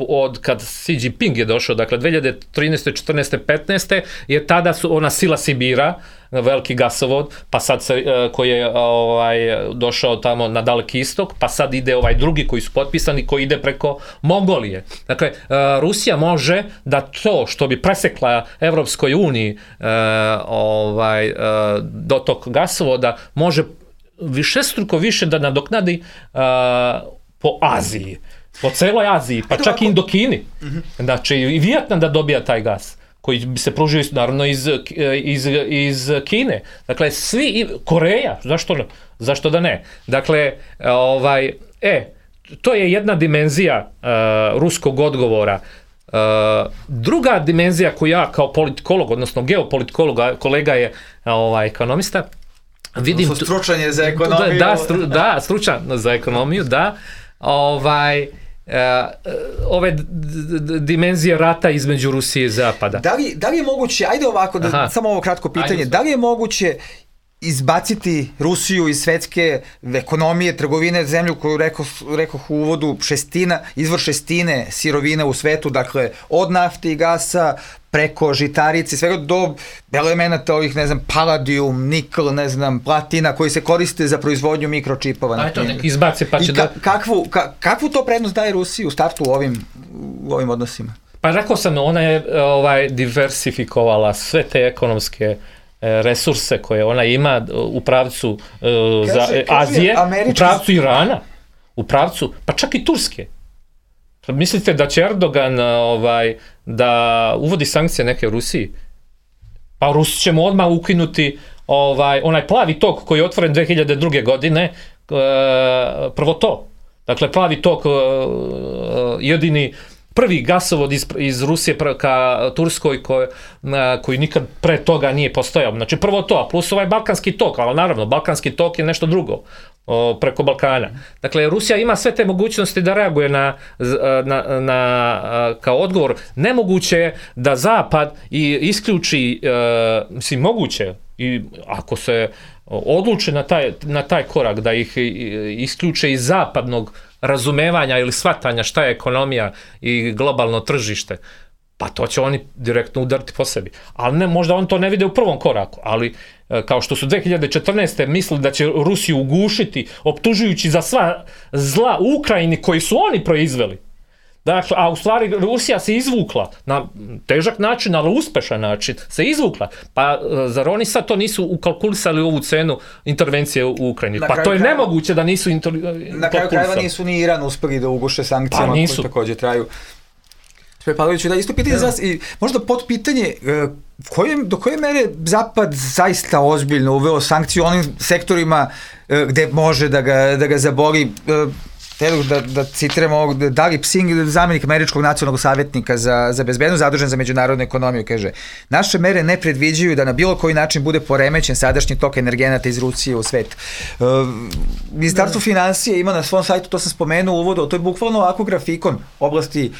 od kad Xi Jinping je došao, dakle 2013. 14. 15. je tada ona sila Sibira, veliki gasovod, pa sad koji je došao tamo na Daleki istok, pa sad ide ovaj drugi koji su potpisani, koji ide preko Mongolije. Dakle, Rusija može da to što bi presekla Evropskoj uniji dotok gasovoda, može višestruko više da nadoknadi po Aziji, po celoj Aziji, pa čak i Indokini. Znači, i Vijetnam da dobija taj gas, koji bi se pružio naravno iz Kine. Dakle, svi, Koreja, zašto da ne? Dakle, to je jedna dimenzija ruskog odgovora. Druga dimenzija koju ja kao politikolog, odnosno geopolitkolog, kolega je ekonomista, vidim... Stručan je za ekonomiju. Da, stručan za ekonomiju, da. Ove dimenzije rata između Rusije i Zapada. Da li je moguće, ajde ovako, samo ovo kratko pitanje, da li je moguće izbaciti Rusiju iz svetske ekonomije, trgovine, zemlju koju rekoh u uvodu, izvor šestine sirovine u svetu, dakle od nafte i gasa preko žitarice, svega do elemenata ovih, ne znam, paladijum, nikl, ne znam, platina, koji se koriste za proizvodnju mikročipova. Ajde, nek izbaci pa će da... Kakvu to prednost daje Rusiji u startu u ovim odnosima? Pa rekao sam, ona je diversifikovala sve te ekonomske resurse koje ona ima u pravcu Azije, u pravcu Irana, u pravcu, pa čak i Turske. Mislite da će Erdogan da uvodi sankcije neke u Rusiji? Pa Rusi ćemo odmah ukinuti onaj plavi tok koji je otvoren 2002. godine, prvo to. Dakle, plavi tok, jedini prvi gasovod iz Rusije ka Turskoj koji nikad pre toga nije postojao. Znači prvo to, a plus ovaj balkanski tok, ali naravno, balkanski tok je nešto drugo preko Balkana. Dakle, Rusija ima sve te mogućnosti da reaguje kao odgovor. Nemoguće je da Zapad isključi, mislim, moguće, i ako se odluče na taj korak da ih isključe iz zapadnog razumevanja ili shvatanja šta je ekonomija i globalno tržište, pa to će oni direktno udariti po sebi. Ali ne, možda on to ne vide u prvom koraku, ali kao što su 2014. mislili da će Rusiju ugušiti, optužujući za sva zla u Ukrajini koji su oni proizveli. Dakle, a u stvari Rusija se izvukla na težak način, ali uspešan način se izvukla. Pa zar oni sad to nisu ukalkulisali ovu cenu intervencije u Ukrajini? Pa to je nemoguće da nisu na kraju krajeva nisu ni Iran uspeli da uguše sankcijama koje takođe traju. Pavloviću, da isto pitanje za vas i možda potpitanje do koje mere Zapad zaista ozbiljno uveo sankciju onim sektorima gde može da ga zaboli. Da citiramo ovog Dali Psing, zamenik američkog nacionalnog savjetnika za bezbednost, zadužen za međunarodnu ekonomiju, kaže: naše mere ne predviđaju da na bilo koji način bude poremećen sadašnji tok energenata iz Rusije u svet. Ministarstvo finansije ima na svom sajtu, to sam spomenuo u uvodu, to je bukvalno ovako grafikon oblasti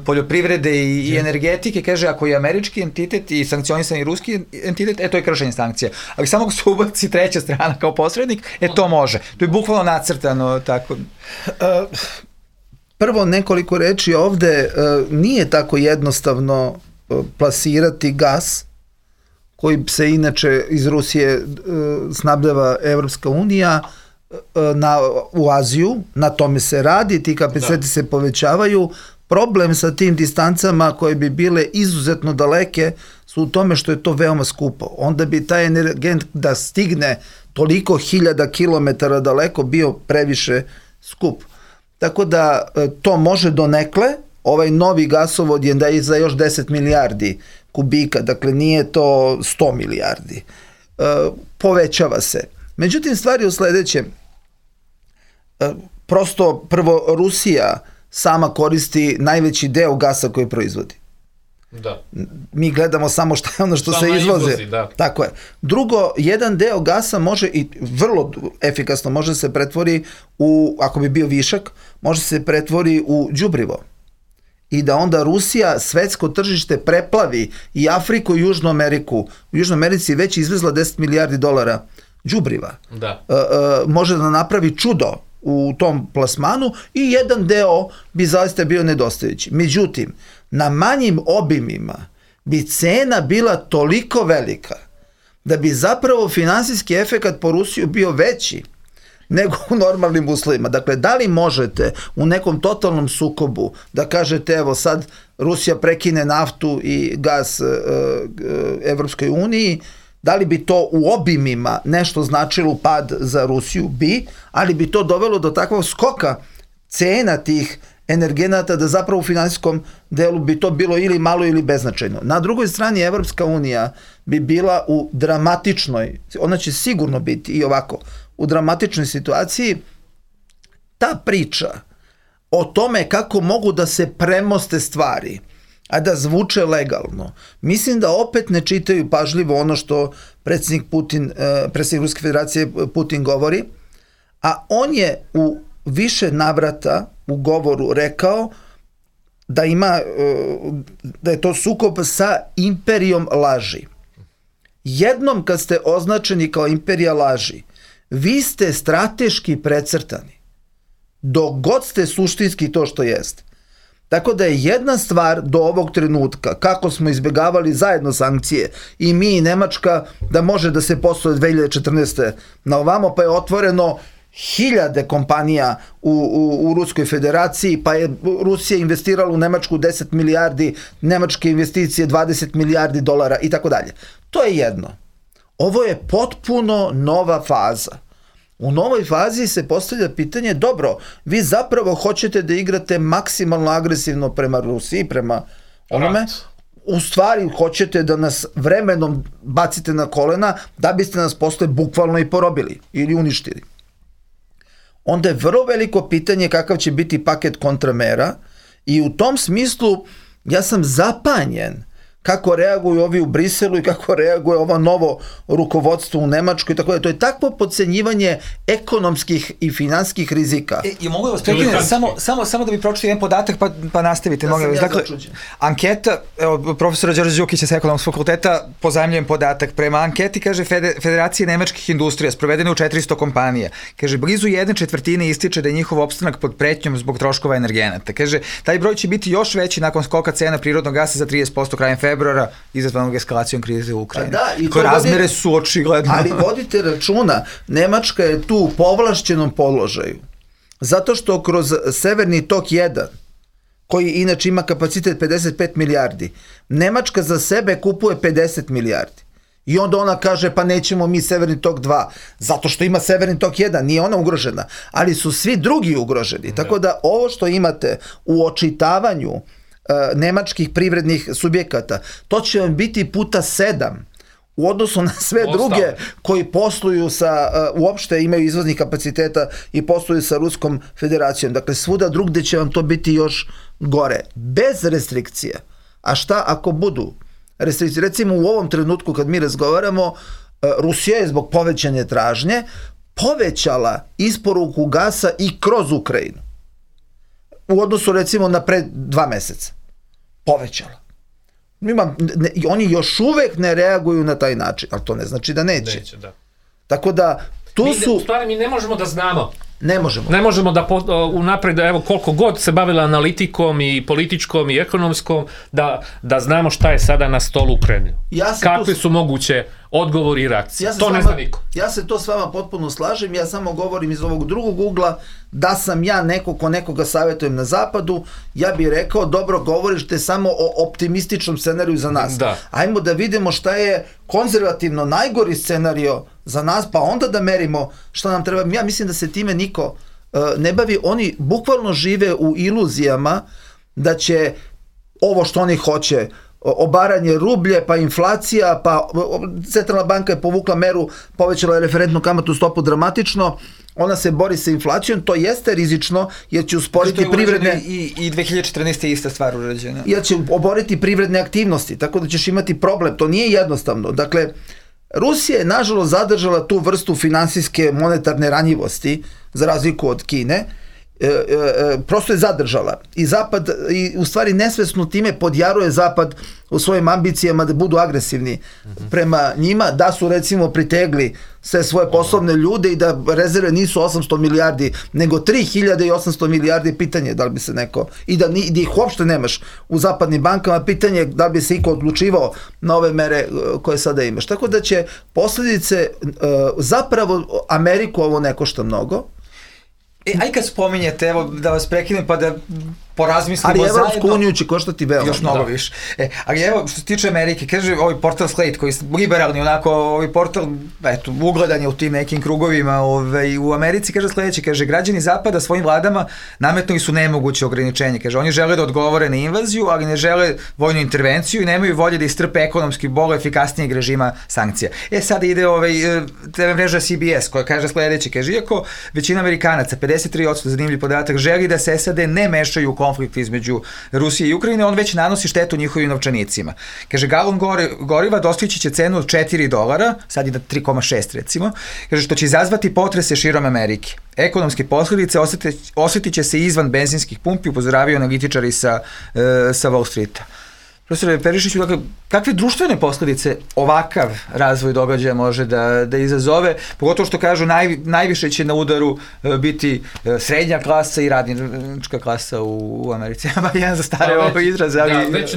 poljoprivrede i energetike, kaže ako je američki entitet i sankcionisani ruski entitet, to je kršenje sankcija. Ali samo se ubaci treća strana kao posrednik, to može. To je bukvalno nacrtano tako. Prvo nekoliko reči ovde, nije tako jednostavno plasirati gas koji se inače iz Rusije snabdeva Evropska unija u Aziju, na tome se radi, ti kapaciteti se povećavaju. Problem sa tim distancama koje bi bile izuzetno daleke su u tome što je to veoma skupo. Onda bi taj energent da stigne toliko hiljada kilometara daleko bio previše skup. Tako da to može donekle, ovaj novi gasovod je da je za još 10 milijardi kubika, dakle nije to 100 milijardi. Povećava se. Međutim, stvari u sledećem. Prosto, prvo, Rusija sama koristi najveći deo gasa koji proizvodi. Da. Mi gledamo samo šta je ono što se izvozi. Da. Tako je. Drugo, jedan deo gasa može i vrlo efikasno može se pretvori u, ako bi bio višak, može se pretvori u đubrivo. I da onda Rusija svetsko tržište preplavi i Afriku i Južnu Ameriku. U Južnoj Americi već izvezla 10 milijardi dolara đubriva. Da. Može da napravi čudo u tom plasmanu i jedan deo bi zaista bio nedostajući. Međutim, na manjim obimima bi cena bila toliko velika da bi zapravo finansijski efekat po Rusiju bio veći nego u normalnim uslovima. Dakle, da li možete u nekom totalnom sukobu da kažete evo sad Rusija prekine naftu i gas Evropskoj uniji, da li bi to u obimima nešto značilo pad za Rusiju? Bi, ali bi to dovelo do takvog skoka cena tih energenata da zapravo u finansijskom delu bi to bilo ili malo ili beznačajno. Na drugoj strani Evropska unija bi bila u dramatičnoj, ona će sigurno biti i ovako, u dramatičnoj situaciji. Ta priča o tome kako mogu da se premoste stvari, a da zvuče legalno, mislim da opet ne čitaju pažljivo ono što predsjednik Ruske federacije Putin govori, a on je u više navrata u govoru rekao da da je to sukob sa imperijom laži. Jednom kad ste označeni kao imperija laži, vi ste strateški precrtani, dok god ste suštinski to što jeste. Tako da je jedna stvar do ovog trenutka, kako smo izbjegavali zajedno sankcije i mi i Nemačka, da može da se posluje 2014. na ovamo, pa je otvoreno hiljade kompanija u Ruskoj federaciji, pa je Rusija investirala u Nemačku 10 milijardi, nemačke investicije 20 milijardi dolara i tako dalje. To je jedno. Ovo je potpuno nova faza. U novoj fazi se postavlja pitanje, dobro, vi zapravo hoćete da igrate maksimalno agresivno prema Rusiji, prema onome, u stvari hoćete da nas vremenom bacite na kolena da biste nas posle bukvalno i porobili ili uništili. Onda je vrlo veliko pitanje kakav će biti paket kontramera i u tom smislu ja sam zapanjen kako reaguju ovi u Briselu i kako reaguje ovo novo rukovodstvo u Nemačkoj i tako da. To je takvo podcenjivanje ekonomskih i finansijskih rizika. I mogu da vas prekinem, samo da bi pročitao jedan podatak pa nastavite. Dakle, anketa, evo, profesora Đorđe Đukića sa Ekonomskog fakulteta, pozajmljujem podatak. Prema anketi, kaže, Federacije nemačkih industrija, sprovedene u 400 kompanija, kaže, blizu 1/4 ističe da je njihov opstanak pod pretnjom zbog troškova energenata. Kaže, taj broj će biti još veći nakon skoka cena prirodnog gasa za 30% krajem februara izazvanog eskalacijom krize u Ukrajini. Koje razmere su očigledno. Ali vodite računa, Nemačka je tu u povlašćenom položaju. Zato što kroz Severni tok 1 koji inače ima kapacitet 55 milijardi. Nemačka za sebe kupuje 50 milijardi. I onda ona kaže pa nećemo mi Severni tok 2, zato što ima Severni tok 1, nije ona ugrožena, ali su svi drugi ugroženi. Tako da ovo što imate u očitavanju nemačkih privrednih subjekata, to će vam biti puta 7 u odnosu na sve druge koji posluju uopšte imaju izvoznih kapaciteta i posluju sa Ruskom federacijom. Dakle, svuda drugde će vam to biti još gore. Bez restrikcija. A šta ako budu restrikcije? Recimo u ovom trenutku kad mi razgovaramo, Rusija je zbog povećane tražnje povećala isporuku gasa i kroz Ukrajinu. U odnosu recimo na pre 2 meseca. Povećala. Oni još uvek ne reaguju na taj način, ali to ne znači da neće. Tako da U stvari mi ne možemo da znamo. Ne možemo. Ne možemo da unapred, evo koliko god se bavila analitikom i političkom i ekonomskom, da znamo šta je sada na stolu u Kremlju. Kakve su moguće odgovori i reakcije. To ne zna niko. Ja se to s vama potpuno slažem, ja samo govorim iz ovog drugog ugla, da sam ja neko ko nekoga savjetujem na zapadu, ja bih rekao, dobro, govorište samo o optimističnom scenariju za nas. Ajmo da vidimo šta je konzervativno najgori scenario za nas, pa onda da merimo šta nam treba. Ja mislim da se time niko ne bavi, oni bukvalno žive u iluzijama da će ovo što oni hoće, obaranje rublje, pa inflacija, pa centralna banka je povukla meru, povećala je referentnu kamatnu stopu dramatično, ona se bori sa inflacijom, to jeste rizično, jer će usporiti privredne... I 2014. je ista stvar urađena. Jer će oboriti privredne aktivnosti, tako da ćeš imati problem, to nije jednostavno. Dakle, Rusija je nažalost zadržala tu vrstu finansijske monetarne ranjivosti, za razliku od Kine, prosto je zadržala i Zapad i u stvari nesvesno time podjaruje Zapad u svojim ambicijama da budu agresivni prema njima, da su recimo pritegli sve svoje poslovne ljude i da rezerve nisu 800 milijardi nego 3800 milijardi, pitanje da li bi se neko, i da ih uopšte nemaš u zapadnim bankama, pitanje da li bi se iko odlučivao na ove mere koje sada imaš. Tako da će posljedice zapravo Ameriku ovo ne košta mnogo. Aj kad spominjete, evo da vas prekinem pa da porazmislimo zajedno. Ali Evropsku uniju će koštati veoma. Još mnogo više. Ali evo, što se tiče Amerike, kaže ovaj portal Slate, koji je liberalni, onako, ovaj portal, eto, ugledan je u tim nekim krugovima u Americi, kaže sledeće, kaže, građani Zapada svojim vladama nametnuli su nemoguće ograničenje. Kaže, oni žele da odgovore na invaziju, ali ne žele vojnu intervenciju i nemaju volje da istrpe ekonomski bolo efikasnijeg režima sankcija. Sada ide TV mreža CBS, koja kaže sledeće, kaže, iako većina Amerikanaca, 53% zanimljiv podatak, želi da se SAD ne mešaju u konflikt između Rusije i Ukrajine, on već nanosi štetu njihovim novčanicima. Kaže, galon goriva dostići će cenu od $4, sad je na 3,6 recimo, kaže, što će izazvati potrese širom Amerike. Ekonomske posljedice osjetit će se izvan benzinskih pumpi, upozoravaju analitičari sa Wall Streeta. Profesore Perišiću, dakle, kakve društvene posljedice ovakav razvoj događaja može da izazove, pogotovo što kažu najviše će na udaru biti srednja klasa i radnička klasa u Americi. Jedan za stare ovo izraz. Već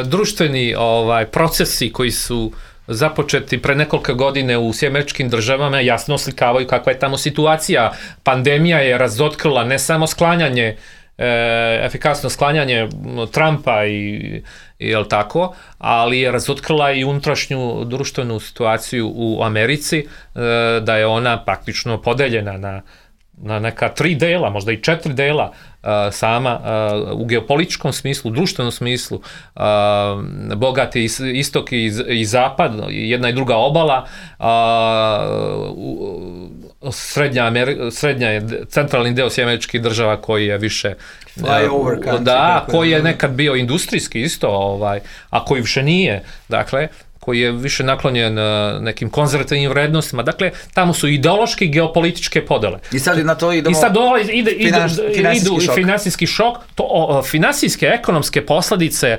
društveni procesi koji su započeti pre nekoliko godine u Sjedinjenim Državama jasno oslikavaju kakva je tamo situacija. Pandemija je razotkrila ne samo sklanjanje efikasno sklanjanje Trumpa i jel tako, ali je razotkrila i unutrašnju društvenu situaciju u Americi, da je ona praktično podeljena na neka 3 dela, možda i 4 dela sama u geopolitičkom smislu, društvenom smislu, bogati istok i zapad, jedna i druga obala, srednja je centralni deo Sjedinjenih Država koji je više koji je nekad bio industrijski isto, a koji više nije, dakle, koji je više naklonjen nekim konzervativnim vrednostima. Dakle, tamo su ideološke i geopolitičke podele. I sad na to idemo... I sad idu i finansijski šok. Finansijske, ekonomske posledice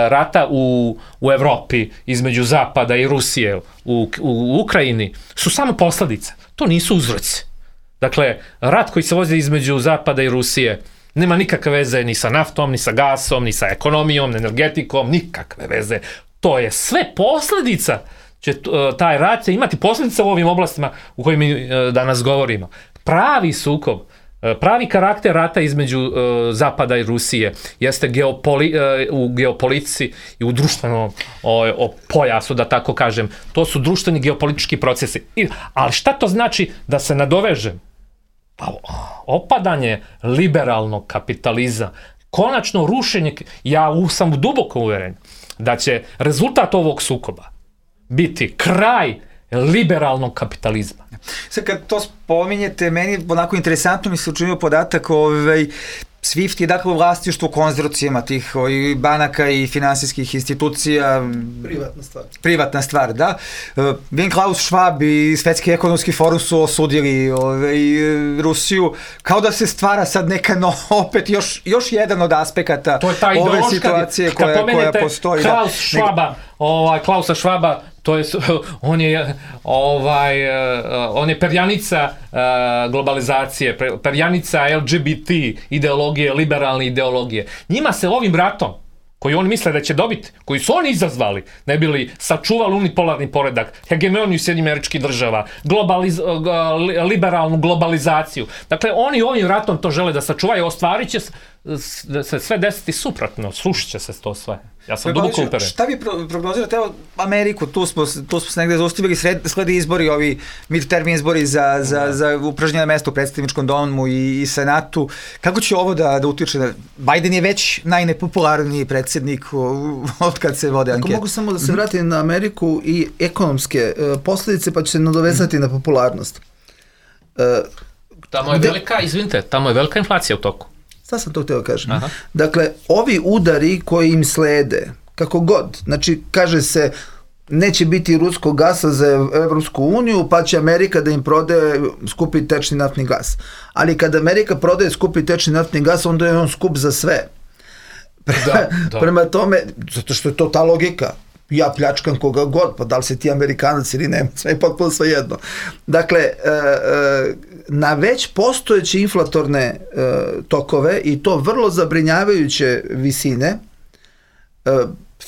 rata u Evropi između Zapada i Rusije u Ukrajini su samo posledice. To nisu uzroci. Dakle, rat koji se vozi između Zapada i Rusije nema nikakve veze ni sa naftom, ni sa gasom, ni sa ekonomijom, ni energetikom, nikakve veze. To je sve posljedica, će taj rat će imati posljedice u ovim oblastima u kojim mi danas govorimo. Pravi sukob Pravi karakter rata između Zapada i Rusije jeste u geopolitici i u društvenom pojasu, da tako kažem. To su društveni geopolitički procesi. Ali šta to znači da se nadovežem? Pa opadanje liberalnog kapitalizma, konačno rušenje, ja sam duboko uveren da će rezultat ovog sukoba biti kraj liberalnog kapitalizma. Sad kad to spominjete, meni onako interesantno mi se učinio podatak SWIFT je dakle u vlasništvu konzorcijama tih banaka i finansijskih institucija. Privatna stvar, da. Klaus Schwab i Svetski ekonomski forum su osudili Rusiju, kao da se stvara sad neka opet još jedan od aspekata ove situacije koja postoji. Klausa Schwaba, to je, on je perjanica globalizacije, perjanica LGBT ideologije, liberalne ideologije. Njima se ovim ratom, koji oni misle da će dobiti, koji su oni izazvali, ne bi li sačuvali unipolarni poredak, hegemoniju Sjedinjenih Američkih Država, liberalnu globalizaciju. Dakle, oni ovim ratom to žele da sačuvaju, ostvarit će se sve desiti suprotno, slušit će se to sve. Ja sam duboko uperen. Šta vi prognozirate? Evo, Ameriku, tu smo se negde zaustavili, slede izbori, ovi midterm izbori za upražnjeno mesto u predstavničkom domu i senatu. Kako će ovo da utiče? Biden je već najnepopularniji predsjednik od kad se vode ankete. Ako mogu samo da se vratim na Ameriku i ekonomske posljedice, pa će se nadovezati na popularnost. Tamo je velika inflacija u toku. Sad sam to htio kažem. Dakle, ovi udari koji im slede, kako god, znači kaže se neće biti ruskog gasa za Evropsku uniju, pa će Amerika da im prodaje skupi tečni naftni gas. Ali kad Amerika prodaje skupi tečni naftni gas, onda je on skup za sve. Prema tome, zato što je to ta logika. Ja pljačkam koga god, pa da li si ti Amerikanac ili ne, sve je potpuno svejedno. Dakle, na već postojeće inflatorne tokove i to vrlo zabrinjavajuće visine,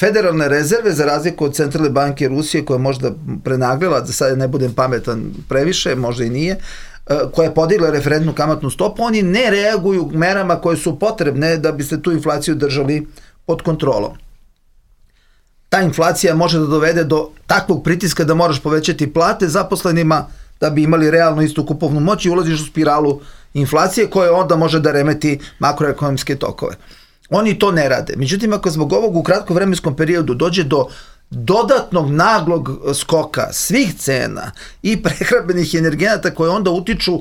federalne rezerve, za razliku od Centralne banke Rusije, koja je možda prenaglila, da sad ne budem pametan previše, možda i nije, koja je podigla referentnu kamatnu stopu, oni ne reaguju merama koje su potrebne da biste tu inflaciju držali pod kontrolom. Ta inflacija može da dovede do takvog pritiska da moraš povećati plate zaposlenima da bi imali realno istu kupovnu moć i ulaziš u spiralu inflacije koja onda može da remeti makroekonomske tokove. Oni to ne rade. Međutim, ako zbog ovog u kratkom vremenskom periodu dođe do dodatnog naglog skoka svih cena i prehrambenih energenata koje onda utiču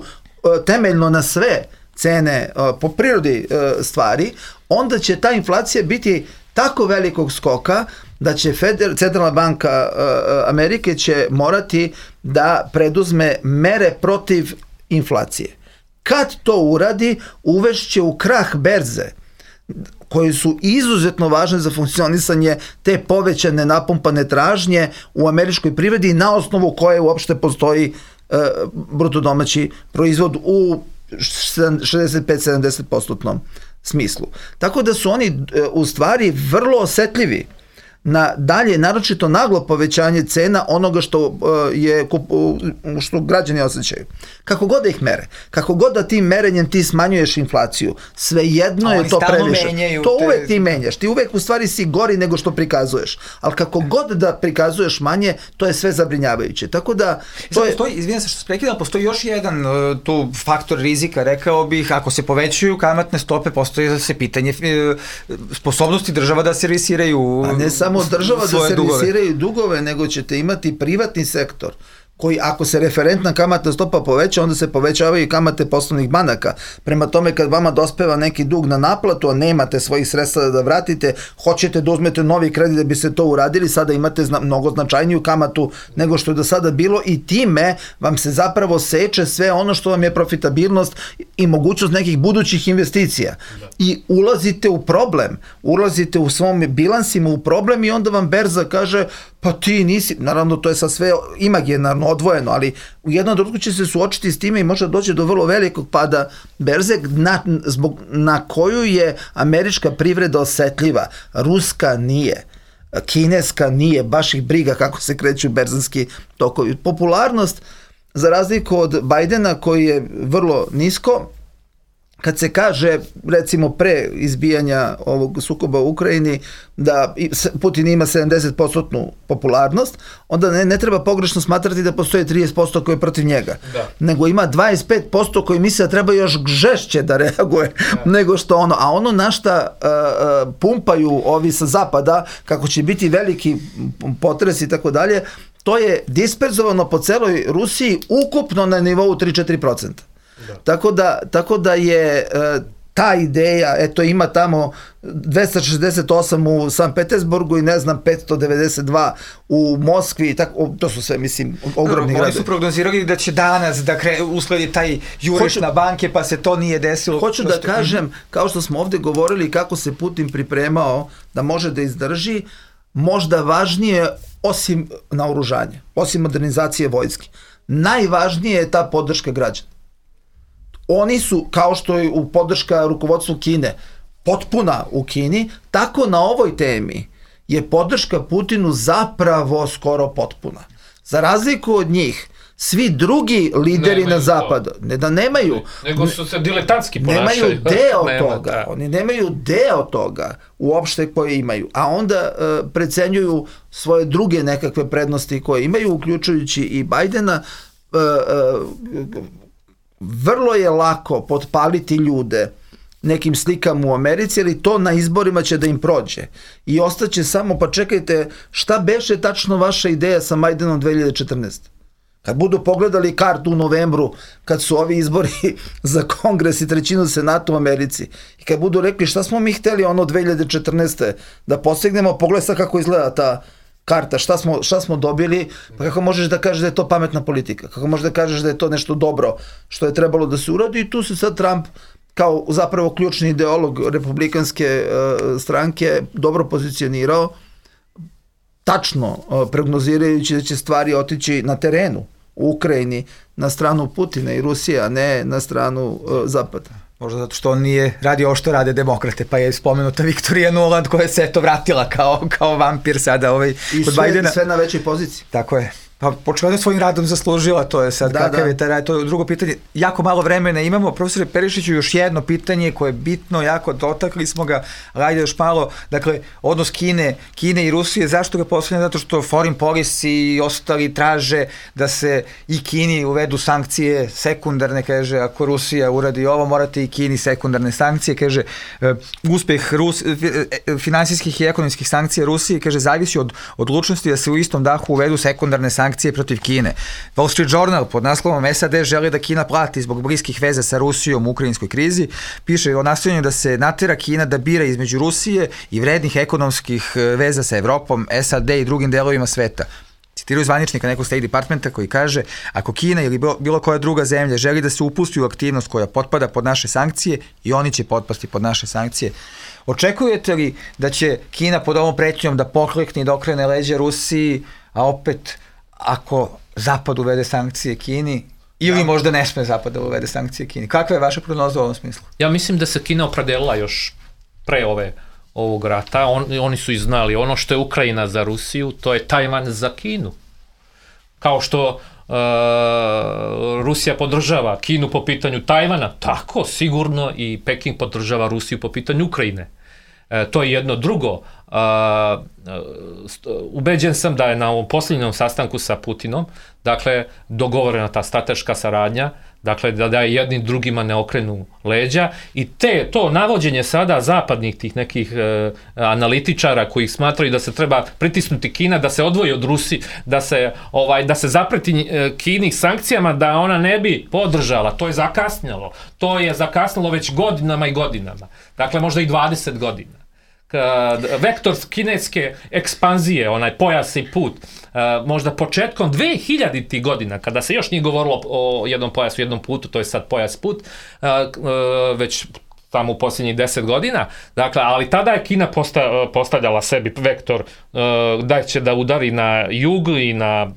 temeljno na sve cene po prirodi stvari, onda će ta inflacija biti tako velikog skoka da će Centralna banka Amerike će morati da preduzme mere protiv inflacije. Kad to uradi, uvešće u krah berze, koji su izuzetno važne za funkcionisanje te povećane napumpane tražnje u američkoj privredi na osnovu koje uopšte postoji bruto domaći proizvod u 65-70% smislu. Tako da su oni u stvari vrlo osetljivi na dalje, naročito naglo povećanje cena onoga što građani osjećaju. Kako god da ih mere, kako god da tim merenjem ti smanjuješ inflaciju, svejedno je to previše. To uvek ti menjaš, ti uvek u stvari si gori nego što prikazuješ, ali kako god da prikazuješ manje, to je sve zabrinjavajuće. Tako da... Izvijem se što se prekidam, postoji još jedan tu faktor rizika, rekao bih, ako se povećuju kamatne stope, postoji se pitanje sposobnosti država da servisiraju. A ne samo država da servisiraju dugove, nego ćete imati privatni sektor koji, ako se referentna kamatna stopa poveća, onda se povećavaju i kamate poslovnih banaka. Prema tome, kad vama dospeva neki dug na naplatu, a nemate svojih sredstva da vratite, hoćete da uzmete novi kredit da bi se to uradili, sada imate mnogo značajniju kamatu nego što je do sada bilo i time vam se zapravo seče sve ono što vam je profitabilnost i mogućnost nekih budućih investicija. I ulazite u problem, ulazite u svom bilansima u problem i onda vam berza kaže, pa ti nisi, naravno to je sad sve imaginarno odvojeno, ali u jednom trenutku će se suočiti s time i može doći do vrlo velikog pada berze na koju je američka privreda osetljiva. Ruska nije, kineska nije, baš ih briga kako se kreću berzanski tokovi. Popularnost, za razliku od Bajdena koji je vrlo nisko, kad se kaže, recimo pre izbijanja ovog sukoba u Ukrajini, da Putin ima 70% popularnost, onda ne treba pogrešno smatrati da postoje 30% koji je protiv njega. Nego ima 25% koji misle da treba još žešće da reaguje nego što ono. A ono na šta pumpaju ovi sa zapada, kako će biti veliki potres i tako dalje, to je disperzovano po celoj Rusiji ukupno na nivou 3-4%. Tako da je ta ideja, eto ima tamo 268 u San Petersburgu i ne znam 592 u Moskvi, to su sve, mislim, ogromni gradovi. Oni su prognozirali da će danas da usledi taj juriš na banke, pa se to nije desilo. Hoću da kažem, kao što smo ovde govorili kako se Putin pripremao da može da izdrži, možda važnije osim naoružanja, osim modernizacije vojske, najvažnije je ta podrška građana. Oni su, kao što je u podrška rukovodstvu Kine, potpuna u Kini, tako na ovoj temi je podrška Putinu zapravo skoro potpuna. Za razliku od njih, svi drugi lideri na zapadu, ne da nemaju, nego su se diletantski ponašaju. Nemaju deo toga, oni nemaju deo toga uopšte koje imaju, a onda precenjuju svoje druge nekakve prednosti koje imaju, uključujući i Bajdena. Vrlo je lako potpaliti ljude nekim slikama u Americi, ali to na izborima će da im prođe. I ostaće samo, pa čekajte, šta beše tačno vaša ideja sa Majdanom 2014? Kad budu pogledali kartu u novembru, kad su ovi izbori za Kongres i trećinu Senata u Americi, i kad budu rekli šta smo mi hteli ono 2014. da postignemo, pogledaj sad kako izgleda ta karta, šta smo dobili, pa kako možeš da kažeš da je to pametna politika, kako možeš da kažeš da je to nešto dobro što je trebalo da se uradi, i tu se sad Trump kao zapravo ključni ideolog republikanske stranke dobro pozicionirao, tačno prognozirajući da će stvari otići na terenu u Ukrajini na stranu Putina i Rusije, a ne na stranu Zapada. Možda zato što on nije radio ovo što rade demokrate, pa je spomenuta Viktorija Nuland koja se eto vratila kao vampir sada kod Bajdena. I sve na većoj poziciji. Tako je. Pa početvano svojim radom zaslužila, to je sad kakav je taj rad, to je drugo pitanje. Jako malo vremena imamo, profesore Perišiću, još jedno pitanje koje je bitno, jako dotakli smo ga, ali ajde još malo, dakle, odnos Kine i Rusije, zašto ga postavljamo? Zato što foreign policy i ostali traže da se i Kini uvedu sankcije sekundarne, kaže, ako Rusija uradi ovo, morate i Kini sekundarne sankcije, kaže, uspeh finansijskih i ekonomskih sankcija Rusije, kaže, zavisi od odlučnosti da se u istom dahu uvedu sekundarne sankcije protiv Kine. Wall Street Journal pod naslovom SAD želi da Kina plati zbog bliskih veza sa Rusijom u ukrajinskoj krizi. Piše o nastojanju da se natera Kina da bira između Rusije i vrednih ekonomskih veza sa Evropom, SAD i drugim delovima sveta. Citiraju zvaničnika nekog State Departmenta koji kaže, ako Kina ili bilo koja druga zemlja želi da se upusti u aktivnost koja potpada pod naše sankcije, i oni će potpasti pod naše sankcije. Očekujete li da će Kina pod ovom pretnjom da poklekne i da okrene leđa Rusiji, a opet ako Zapad uvede sankcije Kini, ili možda ne sme Zapad da uvede sankcije Kini? Kakva je vaša prognoza u ovom smislu? Ja mislim da se Kina opredelila još pre ovog rata. Oni su i znali, ono što je Ukrajina za Rusiju, to je Tajvan za Kinu. Kao što Rusija podržava Kinu po pitanju Tajvana, tako sigurno i Peking podržava Rusiju po pitanju Ukrajine. To je jedno. Drugo, ubeđen sam da je na ovom posljednjom sastanku sa Putinom, dakle, dogovorena ta strateška saradnja, dakle, da jednim drugima ne okrenu leđa, i to navođenje sada zapadnih tih nekih analitičara koji smatraju da se treba pritisnuti Kina, da se odvoji od Rusije, da se zapreti Kini sankcijama, da ona ne bi podržala, to je zakasnilo. To je zakasnilo već godinama i godinama. Dakle, možda i 20 godina. Vektor kineske ekspanzije, onaj pojas i put, možda početkom 2000. godina, kada se još nije govorilo o jednom pojasu, jednom putu, to je sad pojas put, već tamo u posljednjih 10 godina, dakle, ali tada je Kina postavljala sebi vektor da će da udari na jug i na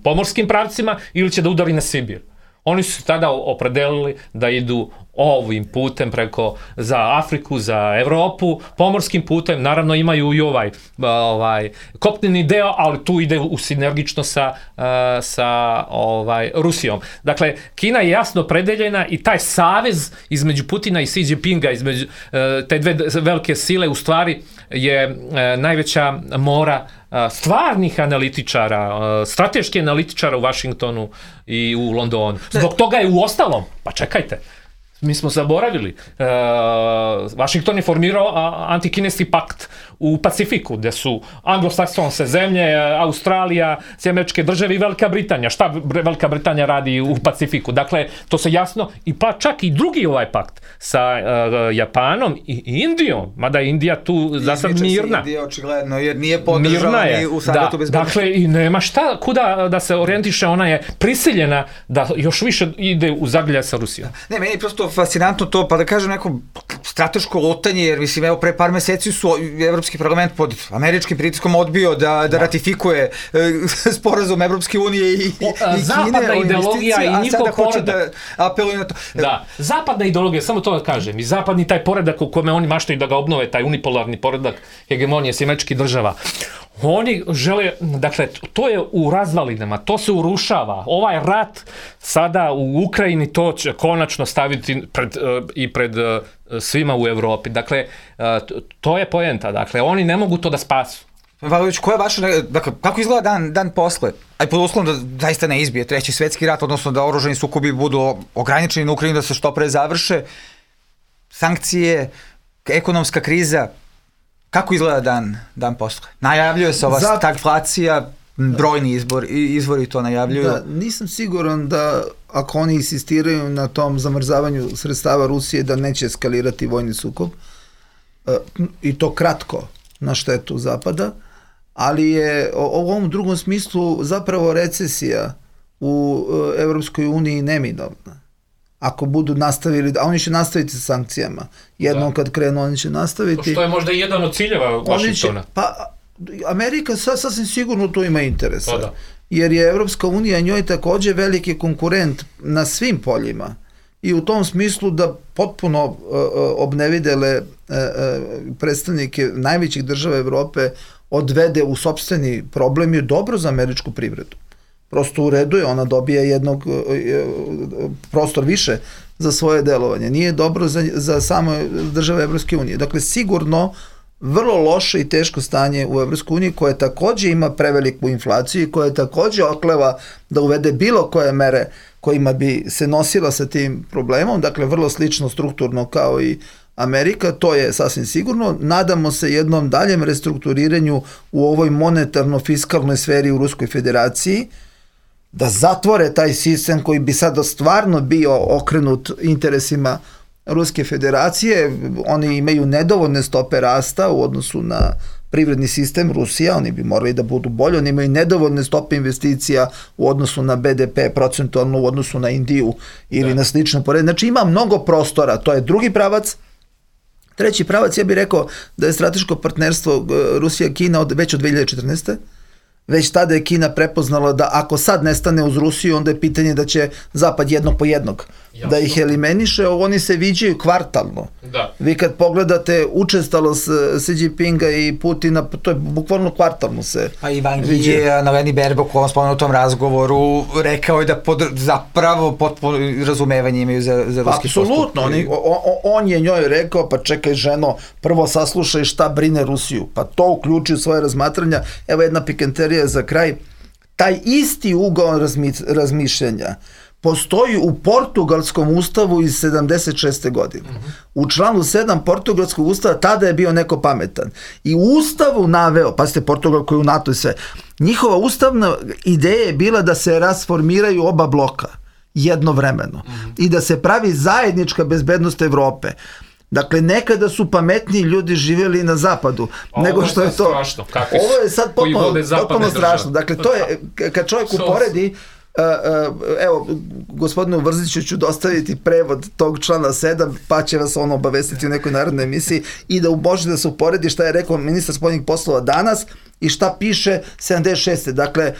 pomorskim pravcima ili će da udari na Sibir. Oni su tada opredelili da idu ovim putem preko za Afriku, za Evropu, pomorskim putem, naravno imaju i ovaj kopneni deo, ali tu ide u sinergično sa Rusijom. Dakle, Kina je jasno predeljena i taj savez između Putina i Xi Jinpinga, između te dve velike sile, u stvari je najveća mora stvarnih analitičara, strateških analitičara u Vašingtonu i u Londonu. Zbog toga je u ostalom, pa čekajte, mi smo zaboravili, Vašington je formirao antikineski pakt u Pacifiku, gde su anglosaksonske zemlje, Australija, Američke države i Velika Britanija. Šta Velika Britanija radi u Pacifiku? Dakle, to se jasno, i pa čak i drugi ovaj pakt sa Japanom i Indijom, mada je Indija tu za sad mirna. Izmiče se Indija očigledno, jer nije podržala ni u Savetu bezbednosti. Dakle, i nema šta kuda da se orijentiše, ona je prisiljena da još više ide u zagrljaj sa Rusijom. Ne, meni je prosto fascinantno to, pa da kažem neko strateško lutanje, jer mislim, evo, pre par meseci su Evropski parlament pod američkim pritiskom odbio da ratifikuje sporazum Evropske unije i Kine. Zapadna ideologija i njihov poredak. Da apeluje na to. Da, zapadna ideologija, samo to da kažem, i zapadni taj poredak u kome oni maštaju da ga obnove, taj unipolarni poredak hegemonije Američkih država. Oni žele, dakle, to je u razvalinama, to se urušava. Ovaj rat sada u Ukrajini, to će konačno staviti pred svima u Evropi. Dakle, to je poenta. Dakle, oni ne mogu to da spasu. Valović, koja je vaša, dakle, kako izgleda dan posle? Aj pod uslovom da zaista ne izbije Treći svetski rat, odnosno da oružani sukobi budu ograničeni na Ukrajinu, da se što pre završe, sankcije, ekonomska kriza. Kako izgleda dan posle? Najavljuje se ova stagflacija, brojni izvori to najavljuju. Da, nisam siguran da ako oni insistiraju na tom zamrzavanju sredstava Rusije da neće eskalirati vojni sukob, i to kratko na štetu Zapada, ali je u ovom drugom smislu zapravo recesija u Evropskoj uniji neminovna. Ako budu nastavili, a oni će nastaviti sa sankcijama. Jednom kad krenu, oni će nastaviti. Što je možda jedan od ciljeva Vašingtona. Pa, Amerika sasvim sigurno to ima interesa. Pa da. Jer je Evropska unija njoj takođe veliki konkurent na svim poljima. I u tom smislu da potpuno obnevidele predstavnike najvećih država Evrope odvede u sopstveni problem je dobro za američku privredu. Prosto u redu je, ona dobije jednog prostor više za svoje delovanje. Nije dobro za samo države Evropske unije. Dakle, sigurno vrlo loše i teško stanje u Evropskoj uniji, koje takođe ima preveliku inflaciju i koje takođe okleva da uvede bilo koje mere kojima bi se nosila sa tim problemom, dakle vrlo slično strukturno kao i Amerika, to je sasvim sigurno. Nadamo se jednom daljem restrukturiranju u ovoj monetarno-fiskalnoj sferi u Ruskoj federaciji, da zatvore taj sistem koji bi sada stvarno bio okrenut interesima Ruske federacije. Oni imaju nedovoljne stope rasta u odnosu na privredni sistem Rusija, oni bi morali da budu bolji, oni imaju nedovoljne stope investicija u odnosu na BDP, procentualno u odnosu na Indiju ili na slične porede. Znači ima mnogo prostora, to je drugi pravac. Treći pravac, ja bih rekao da je strateško partnerstvo Rusija-Kina već od 2014. Već tada je Kina prepoznala da ako sad nestane uz Rusiju, onda je pitanje da će Zapad jednog po jednog da ih eliminiše. Oni se viđaju kvartalno. Da. Vi kad pogledate učestalost Xi Jinpinga i Putina, to je bukvalno kvartalno se pa Ivan Gi je na Leni Berbok u ovom spomenutom razgovoru rekao je da zapravo potpuno razumevanje imaju za ruski postup. Apsolutno, on je njoj rekao, pa čekaj ženo, prvo saslušaj šta brine Rusiju, pa to uključi u svoje razmatranja. Evo jedna pikanterija za kraj. Taj isti ugao razmišljanja postoji u portugalskom ustavu iz 76. godine. U članu 7 portugalskog ustava tada je bio neko pametan. I u ustavu naveo, pa ste Portugal koji je u NATO i sve, njihova ustavna ideja je bila da se rasformiraju oba bloka jednovremeno i da se pravi zajednička bezbednost Evrope. Dakle, nekada su pametniji ljudi živjeli na zapadu, nego što je to. Strašno. Ovo je sad potpuno strašno. Dakle, to je, kad čovjek uporedi, evo, gospodinu Vrziću ću dostaviti prevod tog člana 7, pa će vas ono obavestiti u nekoj narodnoj emisiji i da može da se uporedi šta je rekao ministar spoljnih poslova danas i šta piše 76. Dakle,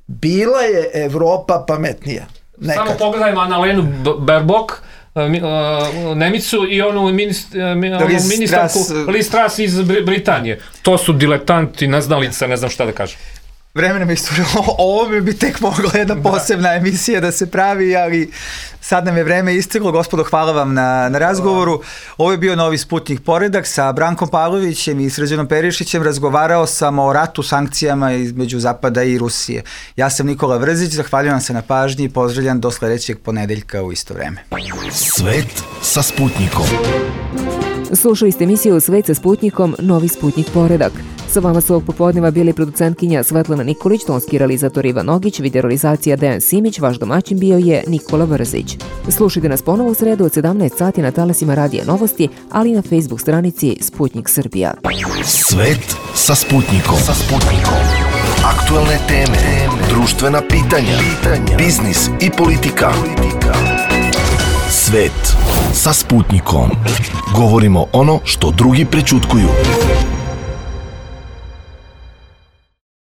bila je Evropa pametnija. Nekad. Samo pogledajmo Annalenu Baerbock, Nemicu i onu ministarku Liz Truss iz Britanije. To su diletanti, neznalice, ne znam šta da kažem. Vreme nam je istorilo, ovo bi tek mogla jedna posebna emisija da se pravi, ali sad nam je vreme isteklo. Gospodo, hvala vam na razgovoru. Ovo je bio Novi Sputnik Poredak. Sa Brankom Pavlovićem i Srđanom Perišićem razgovarao sam o ratu, sankcijama između Zapada i Rusije. Ja sam Nikola Vrzić, zahvaljujem vam se na pažnji i pozdravljam do sledećeg ponedeljka u isto vreme. Svet sa Sputnikom. Slušali ste emisiju Svet sa Sputnikom, Novi Sputnik Poredak. Sa vama su ovog popodneva bili producentkinja Svetlana Nikolić, tonski realizator Ivan Nogić, videorealizacija Dejan Simić, vaš domaćin bio je Nikola Vrzić. Slušajte nas ponovo u sredu od 17 sati na talasima Radija Novosti, ali i na Facebook stranici Sputnik Srbija. Svet sa Sputnikom. Aktuelne teme, društvena pitanja, biznis i politika. Svet sa Sputnikom. Govorimo ono što drugi prećutkuju.